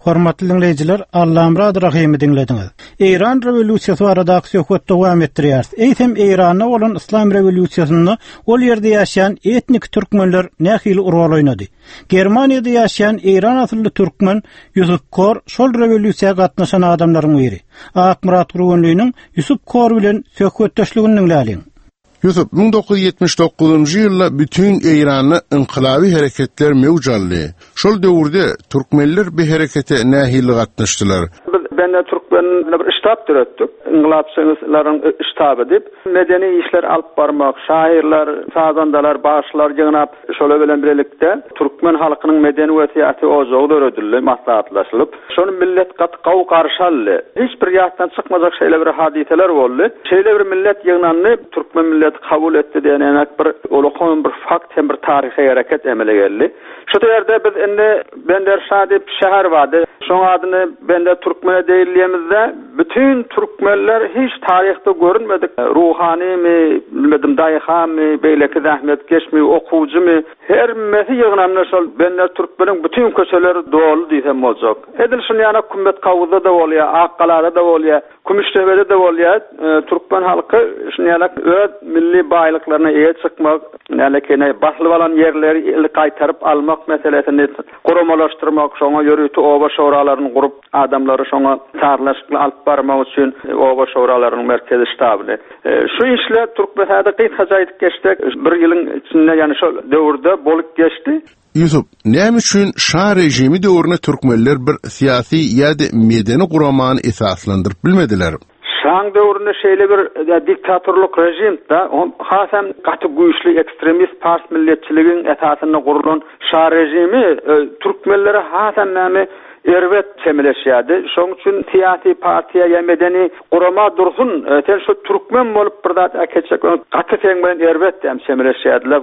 Hormatly dinleýjiler, Allamurad Rahimi diňlediňiz. Eýran rewolýusiýasy baradaky söhbet dowam etdirýär. Eýsem Eýranda bolan Yslam rewolýusiýasynda ol ýerde ýaşaýan etnik türkmenler nähili rol oýnady? Germaniýada ýaşaýan Eýran asylly türkmen Ýusuf Kor şol rewolýusiýa gatnaşan adamlaryň biri. Akmyrat Gurgunlynyň Ýusuf Kor bilen söhbetdeşligini diňläliň. Ýusuf, müň dokuz ýüz ýetmiş dokuzynjy ýylda bütün Eýranda inqilabi hereketler mewjaldy. Şol döwürde türkmenler bu herekete nähili gatnaşdylar? Biz bende türkmenler bir ştab döretdik. Inqilabçylaryň ştaby diýip, medeni işler alyp barmak, şairler, sazandalar, başlar ýygnap, şolar bilen birlikde türkmen halkynyň medeni we syýasy ojagy döredildi, maslahatlaşylyp. Şony millet gat gaw garşaldy. Hiç bir ýatdan çykmajak şeýle bir hadiseler boldy. Şeýle bir millet ýygnandy, türkmen millet kabul etdi diýen enak bir ulkan bir fakt hem bir taryhy hereket emele geldi. Şu ýerde biz indi Bender Şah diýip şäher bardy. Şoň adyny Bender Türkmene diýilýämizde bütün türkmenler hiç taryhda görünmedik. Ruhanymy, bilmedim daýhamy, beýleki zähmetkeşmi, okuwçymy, her mesi ýygnandy şol Bender Türkmeniň bütün köçeleri doly diýsem boljak. Edil şuny ýana Kümmet Kawuzda da bolýar, Akgalada da bolýar, Kümüştebede de bolýar. E, Türkmen halky şuny ýana öz milli baýlyklaryna eýe çykmak, nälekeýne baslyp alan ýerleri gaýtaryp almak meselesini guramalaşdyrmak, şoňa ýörite oba şoralaryny gurup adamlary şoňa sazlaşykly alyp barmak üçin oba şoralarynyň merkezi ştabyny. E, şu işler Türkmenistanda gysgaça aýdyp geçdik. Bir ýylyň içinde ýani şol döwürde bolup geçdi. Ýusuf, näme üçin şah režimi döwründe türkmenler bir syýasy ýa-da medeni guramany esaslandyryp bilmediler? Şaň döwründe şeýle bir diktatorlyk rejim da, hasam gaty güýçli ekstremist pars milletçiligiň esasynda gurulan şah rejimi e, türkmenlere hasam näme erbet çemeleşýärdi. Şoň üçin syýasy partiýa ýa medeni gurama dursun, e, sen şu türkmen bolup bir zat äketjek, gaty sen bilen erbet hem çemeleşýärdiler,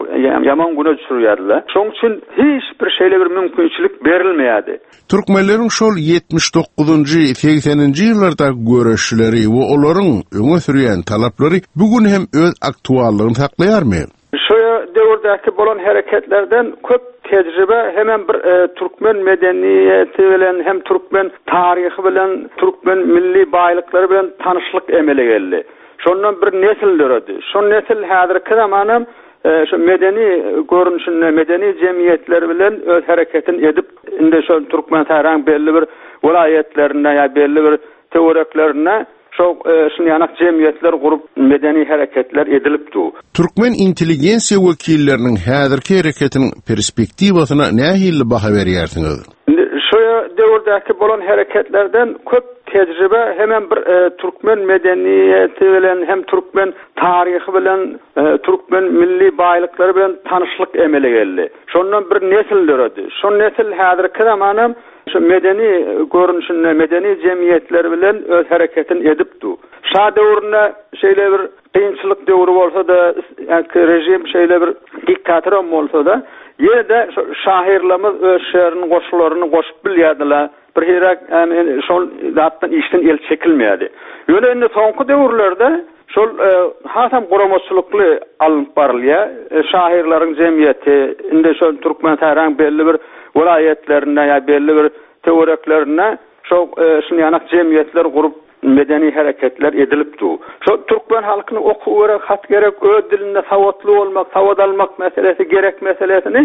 ýaman güne düşürýärdiler. Şoň üçin hiç bir şeýle bir mümkinçilik berilmeýärdi. Türkmenleriň şol ýetmiş dokuzynjy, segseninji ýyllarda göreşleri we olaryň öňe sürýän talaplary bugün hem öz aktuallygyny saklaýarmy? Şu döwürdäki bolan hereketlerden köp tejribe hemen bir, e, türkmen medeniýeti bilen hem türkmen taryhy bilen türkmen milli baýlyklary bilen tanyşlyk emele geldi. Şondan bir nesil döredi. Şol nesil häzirki zamanam, e, şu medeni görnüşinde medeni jemgyýetler bilen öz hereketini edip indi şol Türkmenistanyň belli bir welaýatlarynda ýa belli bir töwereklerinde şo, e, şuny ýanak jemgyýetler gurup medeni hereketler edilipdi. Türkmen intelligensiýa wekilleriniň häzirki hereketiniň perspektiwasyna nähili baha berýärsiňiz? Indi şu döwürdäki bolan hereketlerden köp tejribe hemen bir, e, türkmen medeniýeti bilen hem türkmen taryhy bilen, e, türkmen milli baýlyklary bilen tanyşlyk emele geldi. Şondan bir nesil döredi. Şol nesil häzirki zamanam şu medeni görnüşinde medeni jemgyýetler bilen öz hereketini edipdi. Şah döwründe şeýle bir kynçylyk döwri bolsa da, ýa-ki rejim şeýle bir diktator bolsa da, Ýene-de şahyrlarymyz öz şäheriniň goşgularyny goşup bilýärdiler. Bir hirek yani şol zatdan işden el çekilmeýärdi. Ýöne indi soňky döwürlerde şol e, hasam guramaçylykly alynıp barylýar. E, şahyrlaryň jemgyýeti indi şol Türkmenistanyň belli bir welaýatlarynda ýa belli bir töwereklerinde şo e, şunýanak jemgyýetler gurup medeni hareketler edilip du. Şo türkmen halkyny okuw gerek, hat gerek, öz dilinde sawatly bolmak, sawat almak meselesi gerek meselesini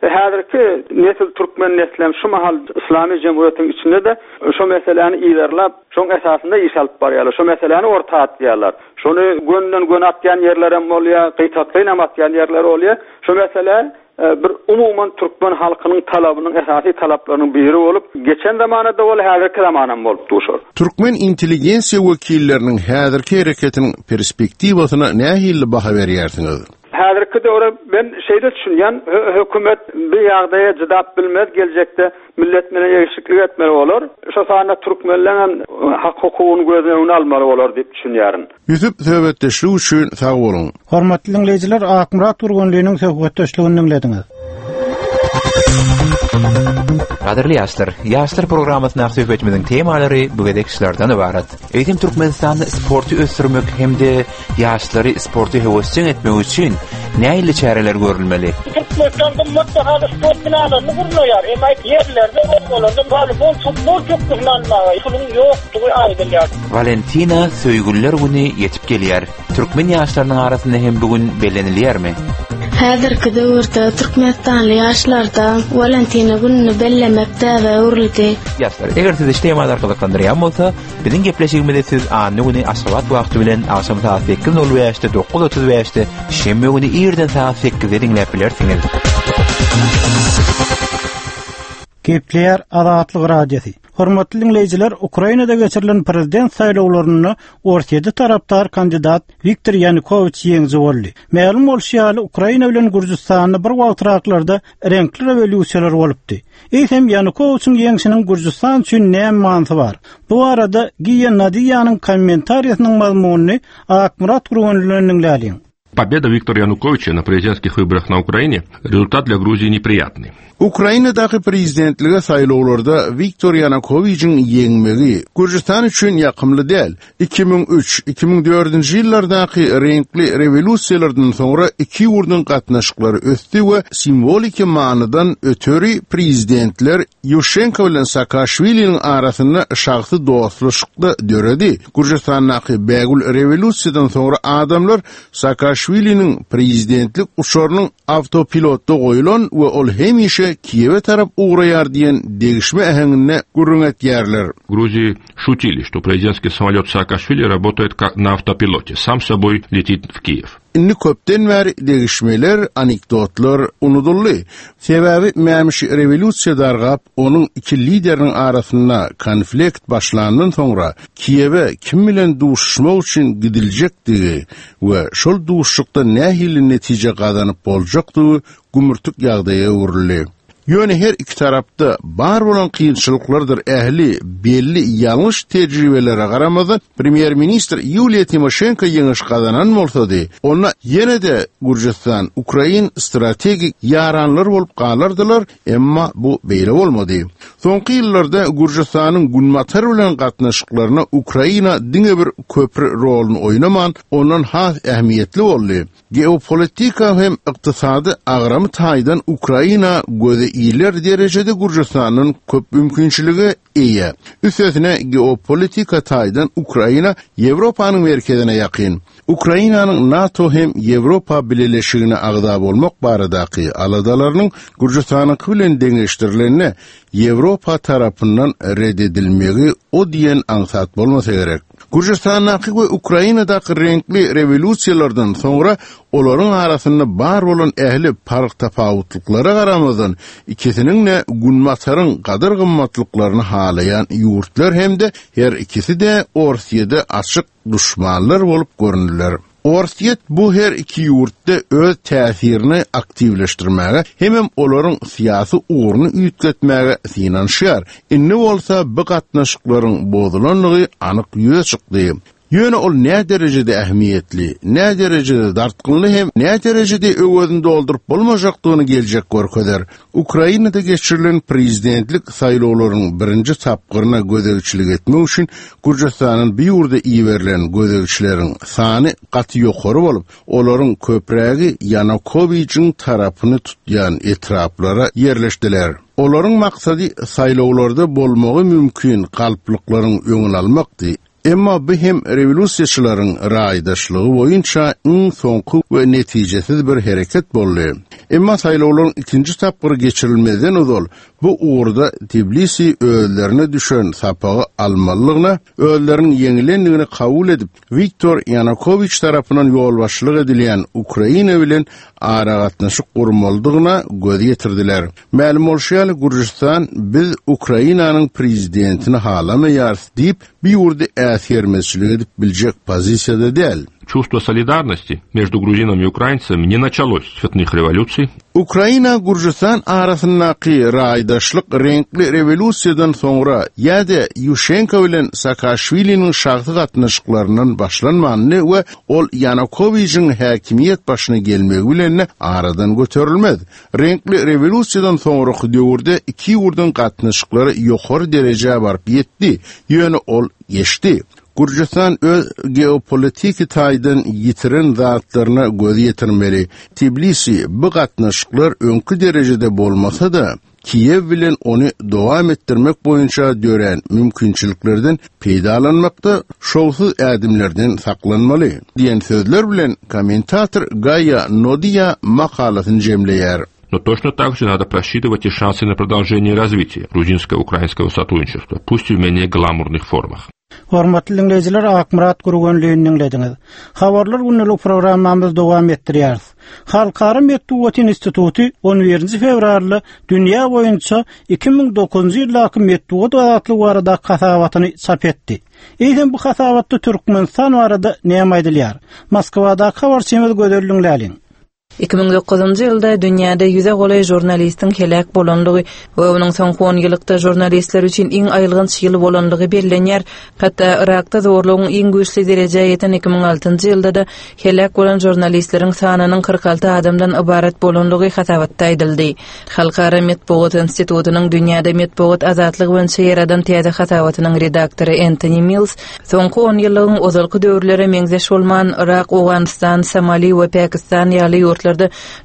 e, häzirki nesil türkmen neslem şu mahal İslami Cumhuriyetiň içinde de şu meseleni ilerlap, şoň esasynda iş alyp barýarlar. Şu meseleni orta atýarlar. Şony gönden gön atýan ýerler hem bolýar, gyýtaklaýyn atýan ýerler bolýar. Şu mesele e, bir umuman türkmen halkynyň talabynyň esasy talaplarynyň biri bolup, geçen zamanada bol, häzirki zamanam bolup duşar. Türkmen intelligensiýa wekilleriniň häzirki hereketiniň perspektiwasyna nähili baha berýärsiňiz? Häzirki döwre ben şeýle düşünýän, hökümet bir ýagdaýa jydap bilmez geljekde millet bilen eşiklik etmeli bolar. Şu sanda türkmenler hem hak hukugyny göz öňüne almaly bolar diýip düşünýärin. Ýusuf söhbetdeşlik üçin sag boluň. Hormatly dinleýjiler, Akmyrat Gurgunlynyň söhbetdeşligini dinlediňiz. Gadyrly ýaşlar, ýaşlar programmasyndaky söhbetimiziň temalary bu gezek şulardan ibarat. Eýsem Türkmenistanda sporty ösdürmek hem-de ýaşlary sporty höwesjeň etmek üçin nähili çäreler görülmeli? Türkmenistan gymmat bahaly sport binalaryny gurnaýar. Emma ýerlerde obalarda voleybol, futbol pökgüsini almaga puluň ýokdugy aýdylýar. Valentina söýgüliler güni ýetip gelýär. Türkmen ýaşlarynyň arasynda hem bugün bellenilýärmi? Häzirki döwürde Türkmenistanly ýaşlarda Valentina gününi bellemek däbe öwrüldi. Ýaşlar, eger sizi şu temalar gyzyklandyrýan bolsa, biziň gepleşigimizi siz anna güni Aşgabat wagty bilen agşam saat sekiz nol bäşde, dokuz otuz bäşde, şenbe güni irden saat sekizde diňläp bilersiňiz. Gepleýär Azatlyk Radiosy. Hormatly dinleýjiler, Ukrainada geçirilen prezident saýlawlarynda Orsýeti tarapdar kandidat Wiktor Ýanukowiç ýeňiji boldy. Mälim bolşy ýaly, Ukraina bilen Gürjüstanda bir wagtraklarda reňkli rewolýusiýalar bolupdy. Eýsem Ýanukowiçiň ýeňşiniň Gürjüstan üçin näme manysy bar? Bu arada Giýa Nadiýanyň kommentariýasynyň mazmunyny Akmyrat Gurgunlydan diňläliň. Победа Виктора Януковича на президентских выборах на Украине – результат для Грузии неприятный. Ukrainadaky prezidentlige saýlawlarda Wiktor Ýanukowiçiň ýeňmegi Gürjüstan üçin ýakymly däl. iki müň üç, iki müň dördünji ýyllardaky reňkli rewolýusiýalardan soňra iki ýurduň gatnaşyklary ösdi we simwoliki manydan öteri prezidentler Ýuşenko bilen Saakaşwiliniň arasynda şahsy dostluşykda döredi. Gürjüstandaky bägül rewolýusiýadan soňra adamlar Saakaşwiliniň prezidentlik uçarynyň awtopilotda goýulan we ol hemişe Kiýewe tarap ugraýar diýen degişme äheňinde gürrüň etýärler. Грузии шутили, что президентский самолет Саакашвили работает как на автопилоте, сам собой летит в Киев. Indi köpden bäri degişmeler, anekdotlar unuduldy. Sebäbi mämişi rewolýusiýa dargap, onuň iki lideriniň arasynda konflikt başlandan soňra Kiýewe kim bilen duşuşmak üçin gidiljekdigi we şol duşuşykda nähili netije gazanyp boljakdygy gümürtik ýagdaýa öwrüldi. Ýöne her iki tarapda bar bolan kynçylyklardyr ähli belli ýalňyş tejribelere garamazdan Premýer-ministr Ýuliýa Timoşenko ýeňiş gazanan bolsady, onda ýene-de Gürjüstan Ukrain strategik ýaranlar bolup galardylar, emma bu beýle bolmady. Soňky ýyllarda Gürjüstanyň Günbatar bilen gatnaşyklaryna Ukraina diňe bir köpri roluny oýnaman, ondan has ähmiýetli boldy. Geopolitika hem ykdysady agramy taýdan Ukraina göze iler derejede Gürjüstanyň köp mümkinçiligi eýe. Üstesine geopolitika taýdan Ukraina Ýewropanyň merkezine ýakyn. Ukrainanyň NATO hem Ýewropa Bileleşigine agza bolmak baradaky aladalarynyň Gürjüstanyňky bilen deňeşdirilenine Ýewropa tarapyndan red edilmegi o diýen aňsat bolmasa gerek. Gürjüstandaky we Ukrainadaky reňkli rewolýusiýalardan soňra olaryň arasynda bar bolan ähli park tapawutlyklara garamazdan ikisiniň-de Günbataryň gadyr gymmatlyklaryny halaýan ýurtlar hem-de her ikisi-de Orsýede açyk duşmanlar bolup göründiler. Orsýet bu her iki ýurtda öz täsirini aktiwleşdirmäge hemem olaryň syýasy ugruny üýtgetmäge synanyşýar. Indi bolsa bu gatnaşyklaryň bozulanlygy anyk ýüze çykdy. Ýöne ol nä derejede ähmiýetli, nä derejede dartgynly hem nä derejede öwezini dolduryp bolmajakdygyny geljek görkezer. Ukrainada geçirilen prezidentlik saýlawlarynyň birinji tapgyryna gözegçilik etmek üçin Gürjüstanyň bu ýurda iberilen gözegçileriň sany gaty ýokary bolup, olaryň köprägi Ýanukowiçiň tarapyny tutýan etraplara ýerleşdiler. Olaryň maksady saýlawlarda bolmagy mümkin galplyklaryň öňüni almakdy. Emma bu hem rewolýusiýaçylaryň raýdaşlygy boýunça iň soňky we netijesiz bir hereket boldy. Emma saýlawlaryň ikinji tapgyry geçirilmezden ozal bu ugurda Tbilisi özlerine düşen sapagy almalydygyna, özleriniň ýeňilendigini kabul edip, Wiktor Ýanukowiç tarapyndan ýolbaşçylyk edilýän Ukraina bilen aragatnaşyk gurmalydygyna göz ýetirdiler. Mälim bolşy ýaly, Gürjüstan biz Ukrainanyň prezidentini halamaýarys diýip, bu ýurdy äsgermezçilik edip biljek pozisiýada däl. Чувство солидарности между грузинами и украинцами не началось с цветных революций. Ukraina Gürjüstan arasyndaky raýdaşlyk reňkli rewolýusiýadan soňra ýa-da Ýuşenko bilen Saakaşwiliniň şahsy gatnaşyklaryndan başlanmandy we ol Ýanukowiçiň häkimiýet başyna gelmegi bilen aradan göterilmez. Reňkli rewolýusiýadan soňraky döwürde iki ýurduň gatnaşyklary ýokary derejä baryp ýetdi, ýöne ol geçdi. Gürjüstan öz geopolitiki taýdan ýitiren zatlaryna göz ýetirmeli. Tbilisi bu gatnaşyklar öňki derejede bolmasa-da, Kiýew bilen ony dowam etdirmek boýunça dörän mümkinçiliklerden peýdalanmakda şowsuz ädimlerden saklanmaly diýen sözler bilen kommentator Gaýa Nodiýa makalasyny jemleýär. Но точно так же надо просчитывать и шансы на продолжение развития грузинско-украинского сотрудничества, пусть и в менее гламурных формах. Hormatly diňleýjiler, Akmyrat Gürgenlini diňlediňiz. Habarlar gündelik programmamyzy dowam etdirýäris. Halkara metbugat instituty on birinji fewralda dünýä boýunça iki müň dokuzynjy ýyldaky metbugat azatlygy barada hasabatyny çap etdi. Eýsem bu hasabatda Türkmenistan barada näme aýdylýar? Moskwadaky habarçymyz Gözel Lüňläliň. Iki müň dokuzynjy ýylda dünýäde ýüze golaý žurnalistiň heläk bolanlygy we onuň soňky on ýyllykda žurnalistler üçin iň aýylganç ýyl bolanlygy bellenýär. Hatda Irakda zorlugyň iň güýçli derejä ýeten iki müň altynjy ýylda-da heläk bolan žurnalistleriň sanynyň kyrk alty adamdan ybarat bolanlygy hasabatda aýdyldy. Halkara metbugat institutynyň dünýäde metbugat azatlygy boýunça ýaradan täze hasabatynyň redaktory Anthony Mills soňky on ýyllygyň ozalky döwürlere meňzeş bolman Irak, Owganystan, Somali we Pakistan ýaly ýurtlarda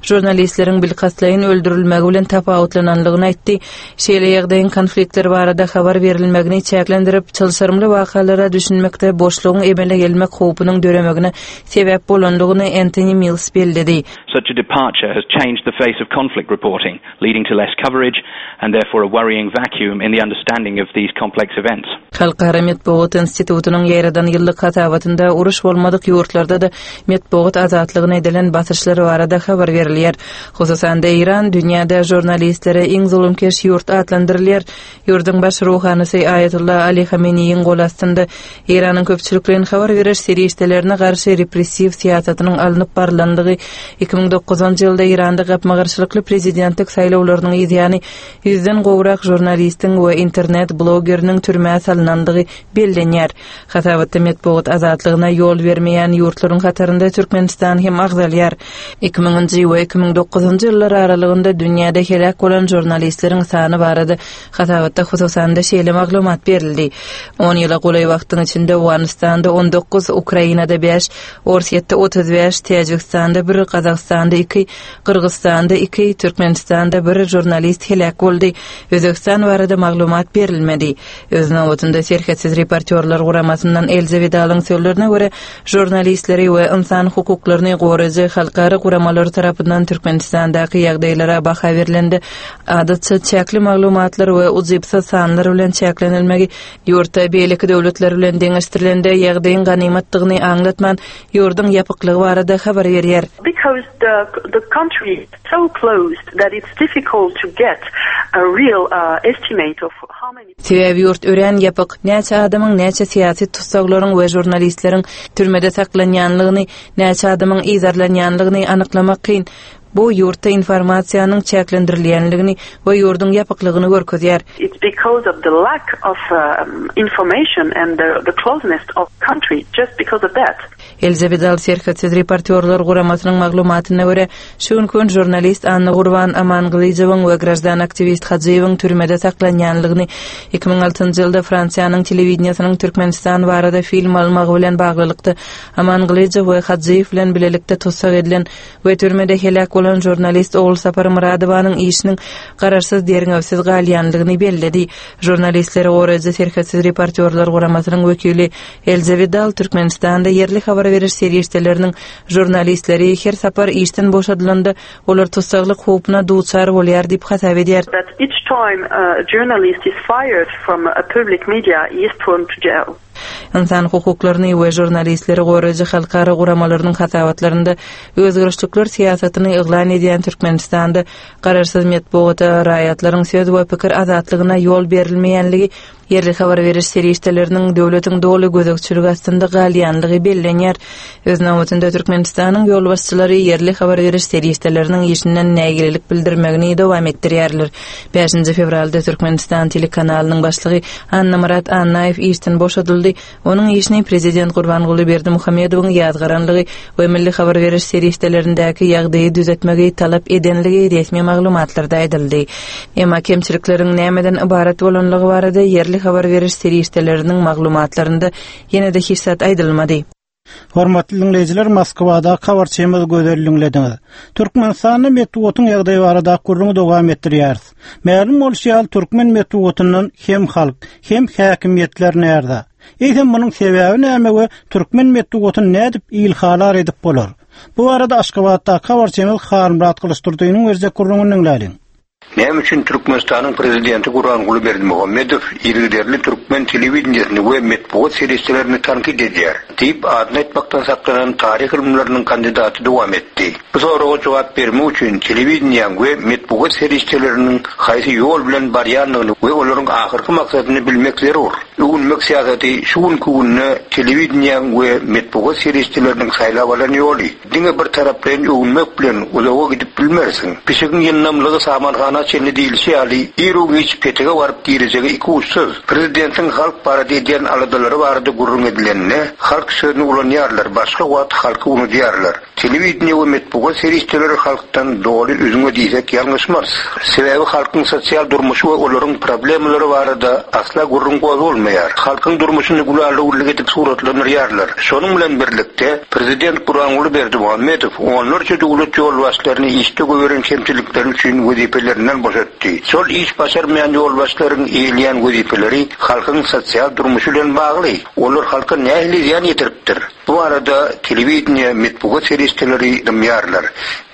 žurnalistleriň bilkastlaýyn öldürilmegi bilen tapawutlananlygyny aýtdy. Şeýle ýagdaýyň konfliktler barada habar berilmegini çäklendirip, çylşyrymly wakalara düşünmekde boşlugyň emele gelmek howpunyň döremegine sebäp bolanlygyny Anthony Mills belledi. Such a departure has changed the face of conflict reporting, leading to less coverage and therefore a worrying vacuum in the understanding of these complex events. Halkara metbugat institutynyň ýaradan ýyllyk hasabatynda uruş bolmadyk ýurtlarda-da metbugat azatlygyna edilen basyşlar barada habar berilýär. Hususan-da Eýran dünýäde žurnalistlere iň zulumkeş ýurt atlandyrylýar. Ýurduň baş ruhanysy Aýatullah Ali Hameneýiň gol astynda Eýranyň köpçülikleýin habar beriş serişdelerine garşy repressiw syýasatynyň alnyp barylandygy iki müň dokuzynjy ýylda Eýranda gapma-garşylykly prezidentlik saýlawlarynyň ýany ýüzden gowrak žurnalistiň we internet blogeriniň türmä salynandygy bellenýär. Hasabatda metbugat azatlygyna ýol bermeýän ýurtlaryň hatarynda Türkmenistan hem agzalýar. Iki müňünji we iki müň dokuzynjy ýyllar aralygynda dünýäde heläk bolan žurnalistleriň sany barada hasabatda hususan-da şeýle maglumat berildi. On ýyla golaý wagtyň içinde Owganystanda on dokuz, Ukrainada bäş, Orsýetde otuz bäş, Täjigistanda bir, Gazagystanda iki, Gyrgyzystanda iki, Türkmenistanda bir žurnalist heläk boldy. Özbegistan barada maglumat berilmedi. Öz nobatynda Serhetsiz reportýorlar guramasyndan Elze Widalyň sözlerine görä, žurnalistleri we insan hukuklaryny goraýjy halkara guramalary tarapyndan Türkmenistandaky ýagdaýlara baha berilende adatça çäkli maglumatlar we ujypsyz sanlar bilen çäklenilmegi ýurtda beýleki döwletler bilen deňeşdirilende ýagdaýyň ganymatdygyny aňlatman ýurduň ýapyklygy barada habar berýär. Because the, the country is so closed that it's difficult to get a real, uh, estimate of how many Sebäbi ýurt örän ýapyk, näçe adamyň, näçe syýasy tussaglaryň we žurnalistleriň türmede saklanýanlygyny, näçe adamyň yzarlanýanlygyny anyklamak kyn. Bu ýurtda informasiýanyň çäklendirilýänligini we ýurduň ýapyklygyny görkezýär. It's because of the lack of um, information and the, the closeness of country, just because of that. Elze Vidal Serhetsiz reportýorlar guramasynyň maglumatyna görä, şu günki gün žurnalist Annagurban Amangylyjowyň we graždan aktiwist Hajyýewiň türmede saklanýanlygyny iki müň altynjy ýylda Fransiýanyň telewideniýesiniň Türkmenistan barada film almagy bilen baglylykda Amangylyjow we Hajyýew bilen bilelikde tussag edilen we türmede heläk bolan žurnalist Ogulsapar Myradowanyň işiniň garaşsyz derňewsiz galýanlygyny belledi. Žurnalistleri goraýjy Serhetsiz reportýorlar guramasynyň wekili Elze Vidal Türkmenistanda ýerli habar beriş serişdeleriniň žurnalistleri her sapar işden boşadylanda olar tussaglyk howpuna duçar bolýar diýip hasap edýär. That each time a journalist is fired from a public media, he is thrown to jail. Ynsan hukuklaryny we žurnalistleri goraýjy halkara guramalarynyň hasabatlarynda özgerişlikler syýasatyny yglan edýän Türkmenistanda garaşsyz metbugata, raýatlaryň söz we pikir azatlygyna ýol berilmeýänligi, ýerli habar beriş serişdeleriniň döwletiň doly gözegçiligi astynda galýanlygy bellenýär. Öz nobatynda Türkmenistanyň ýolbaşçylary ýerli habar beriş serişdeleriniň işinden nägilelik bildirmegini dowam etdirýärler. Bäşinji fewralda Türkmenistan telekanalynyň başlygy Annamyrat Annaýew işden boşadyldy. Onuň işini prezident Gurbanguly Berdimuhamedowyň ýazgaranlygy we milli habar beriş serişdelerindäki ýagdaýy düzetmegi talap edenligi resmi maglumatlarda aýdyldy. Emma kemçilikleriň nämeden ybarat bolanlygy barada ýerli habar beriş serişdeleriniň maglumatlarynda ýene-de hiç zat aýdylmady. Hormatly dinleýjiler, Moskwada habarçymyz Gözel diňlediňiz. Türkmenistanda metbugatyň ýagdaýy barada gürrüňi dowam etdirýäris. Mälim bolşy ýaly türkmen metbugatyndan hem halk, hem häkimiýetler närde? Eýsem munuň sebäbi näme we türkmen metbugatyny nädip ilhalar edip bolar? Bu arada Aşgabatda habarçymyz Halmyrat Gylyçdurdynyň berjek gürrüňini diňläliň. Näme üçin Türkmenistanyň prezidenti Gurbanguly Berdimuhamedow yzygiderli türkmen telewideniýesini we metbugat serişdelerini tankyt edýär diýip adyny aýtmakdan saklanan taryh ylymlarynyň kandidaty dowam etdi. Bu soraga jogap bermek üçin telewideniýäň we metbugat serişdeleriniň haýsy ýol bilen barýandygyny we olaryň ahyrky maksadyny bilmek zerur. Öwünmek syýasaty şu günki günde telewideniýäň we metbugat serişdeleriniň saýlap alan ýoly. Diňe bir taraplaýyn öwünmek bilen uzaga gidip bilmersiň. Pişigiň ýyndamlygy samanhana çenli diýilişi ýaly, iru-giç petege baryp girejegi iki uçsuz. Prezidentiň halk barada edýän aladalary barada gürrüň edilende, halk sözüni ulanýarlar, başga wagt halky unudýarlar. Telewideniýe we metbugat serişdeleri halkdan doly üzňe diýsek ýalňyşmarys. Sebäbi halkyň sosial durmuşy we olaryň problemalary barada asla gürrüň gozgalmaýar. Halkyň durmuşyny gülalugurlyk edip suratlandyrýarlar. Şonuň bilen birlikde prezident Gurbanguly Berdimuhamedow onlarça döwlet ýolbaşçylaryny işde goýberen kemçilikleri üçin wezipelerinden boşatdy. Şol iş başarmaýan ýolbaşçylaryň eýeleýän wezipeleri halkyň sosial durmuşy bilen bagly. Olar halka nähili zyýan ýetiripdir? Bu arada telewideniýe, metbugat serişdeleri dymýarlar.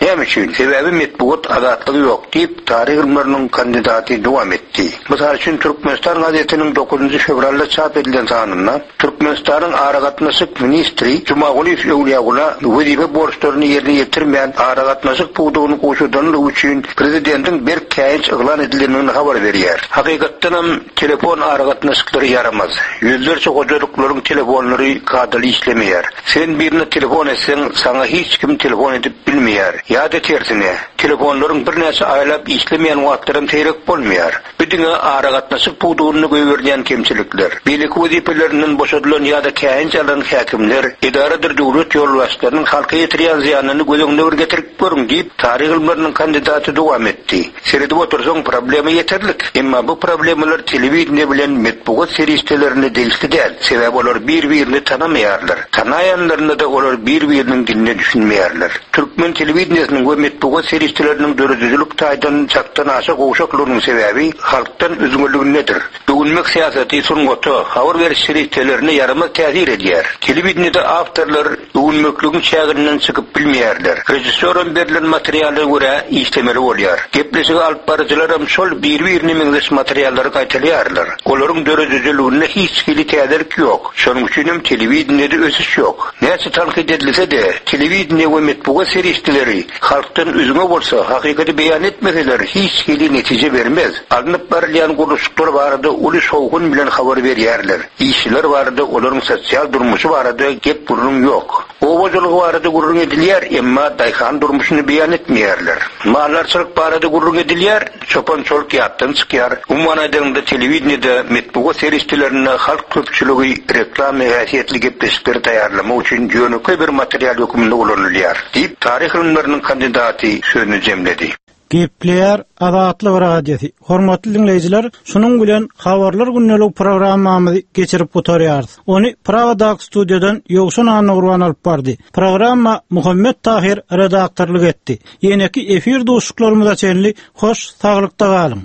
Näme üçin? Sebäbi metbugat azatlygy ýok diýip taryh ylymlarynyň kandidaty dowam etdi. Mysal üçin Türkmenistan gazetiniň dokuzynjy fewralda çap edilen sanynda Türkmenistanyň aragatnaşyk ministri Jumagulyýew Öwlüýagula wezipe borçlaryny ýerine ýetirmän aragatnaşyk pudagyny gowşadanlygy üçin prezidentiň berk käýinç yglan edilendigini habar berýär. Hakykatdanam telefon aragatnaşyklary ýaramaz. Ýüzlerçe hojalyklaryň telefonlary kadaly işlemeýär. Sen birine telefon etseň, saňa hiç kim telefon edip bilmeýär. Ýa-da tersine, telefonlaryň birnäçe aýlap işlemeýän wagtlaram seýrek bolmaýar. Bu diňe aragatnaşyk pudagynda goýberilýän kemçilikler. Beýleki wezipelerinden boşadylan ýa-da käýinç alan häkimler, edaradyr döwlet ýolbaşçylarynyň halka ýetirýän zyýanyny göz öňüne bir getirip görüň diýip taryh ylymlarynyň kandidaty dowam etdi. Seredip otursaň problema ýeterlik. Emma bu problemalar telewideniýe bilen metbugat serişdelerine degişli däl. Sebäbi olar bir-birini tanamaýarlar. Tanaýanlarynda-da olar bir-biriniň diline düşünmeýärler. Türkmen telewideniýesiniň we metbugat serişdeleriniň döredijilik taýdan çakdan aşa gowşaklygynyň sebäbi halkdan üzňeligindedir. Öwünmek syýasaty sungata, habar beriş serişdelerine ýaramaz täsir edýär. Telewideniýede awtorlar öwünmekligiň çäginden çykyp bilmeýärler. Rejissýoram berlen materiala görä işlemeli bolýar. Gepleşigi alyp baryjylaram şol bir-birine meňzeş materiallary gaýtalýarlar. Olaryň döredijiliginde hiç hili täzelik ýok. Şonuň üçin hem telewideniýede ösüş ýok. Näçe tankyt edilse-de, telewideniýe we metbugat serişdeleri halkdan üzňe bolsa, hakykaty beýan etmeseler hiç hili netije bermez. Alnyp barylýan gurluşyklar barada uly Uly şowhun bilen habar berýärler. Işçiler barada, olaryň sosial durmuşy barada gep gürrüň ýok. Oba hojalygy barada gürrüň edilýär, emma daýhan durmuşyny beýan etmeýärler. Maldarçylyk barada gürrüň edilýär, çopan-çoluk ýatdan çykýar. Umuman aýdanyňda telewideniýede, metbugat serişdelerinde halk köpçüligi reklama häsiýetli gepleşikleri taýýarlamak üçin ýönekeý bir material hökmünde ulanylýar, diýip, taryh ylymlarynyň kandidaty sözüni jemledi. Gepleýär Azatlyk Radiosy. Hormatly dinleýjiler, şunuň bilen habarlar gündelik programmamyzy geçirip gutarýarys. Ony Pragadaky studiýadan Ýowşan Annagurban alyp bardy. Programma Muhammet Tahir redaktorlyk etdi. Ýeneki efir duşuşyklarymyza çenli hoş saglykda galyň.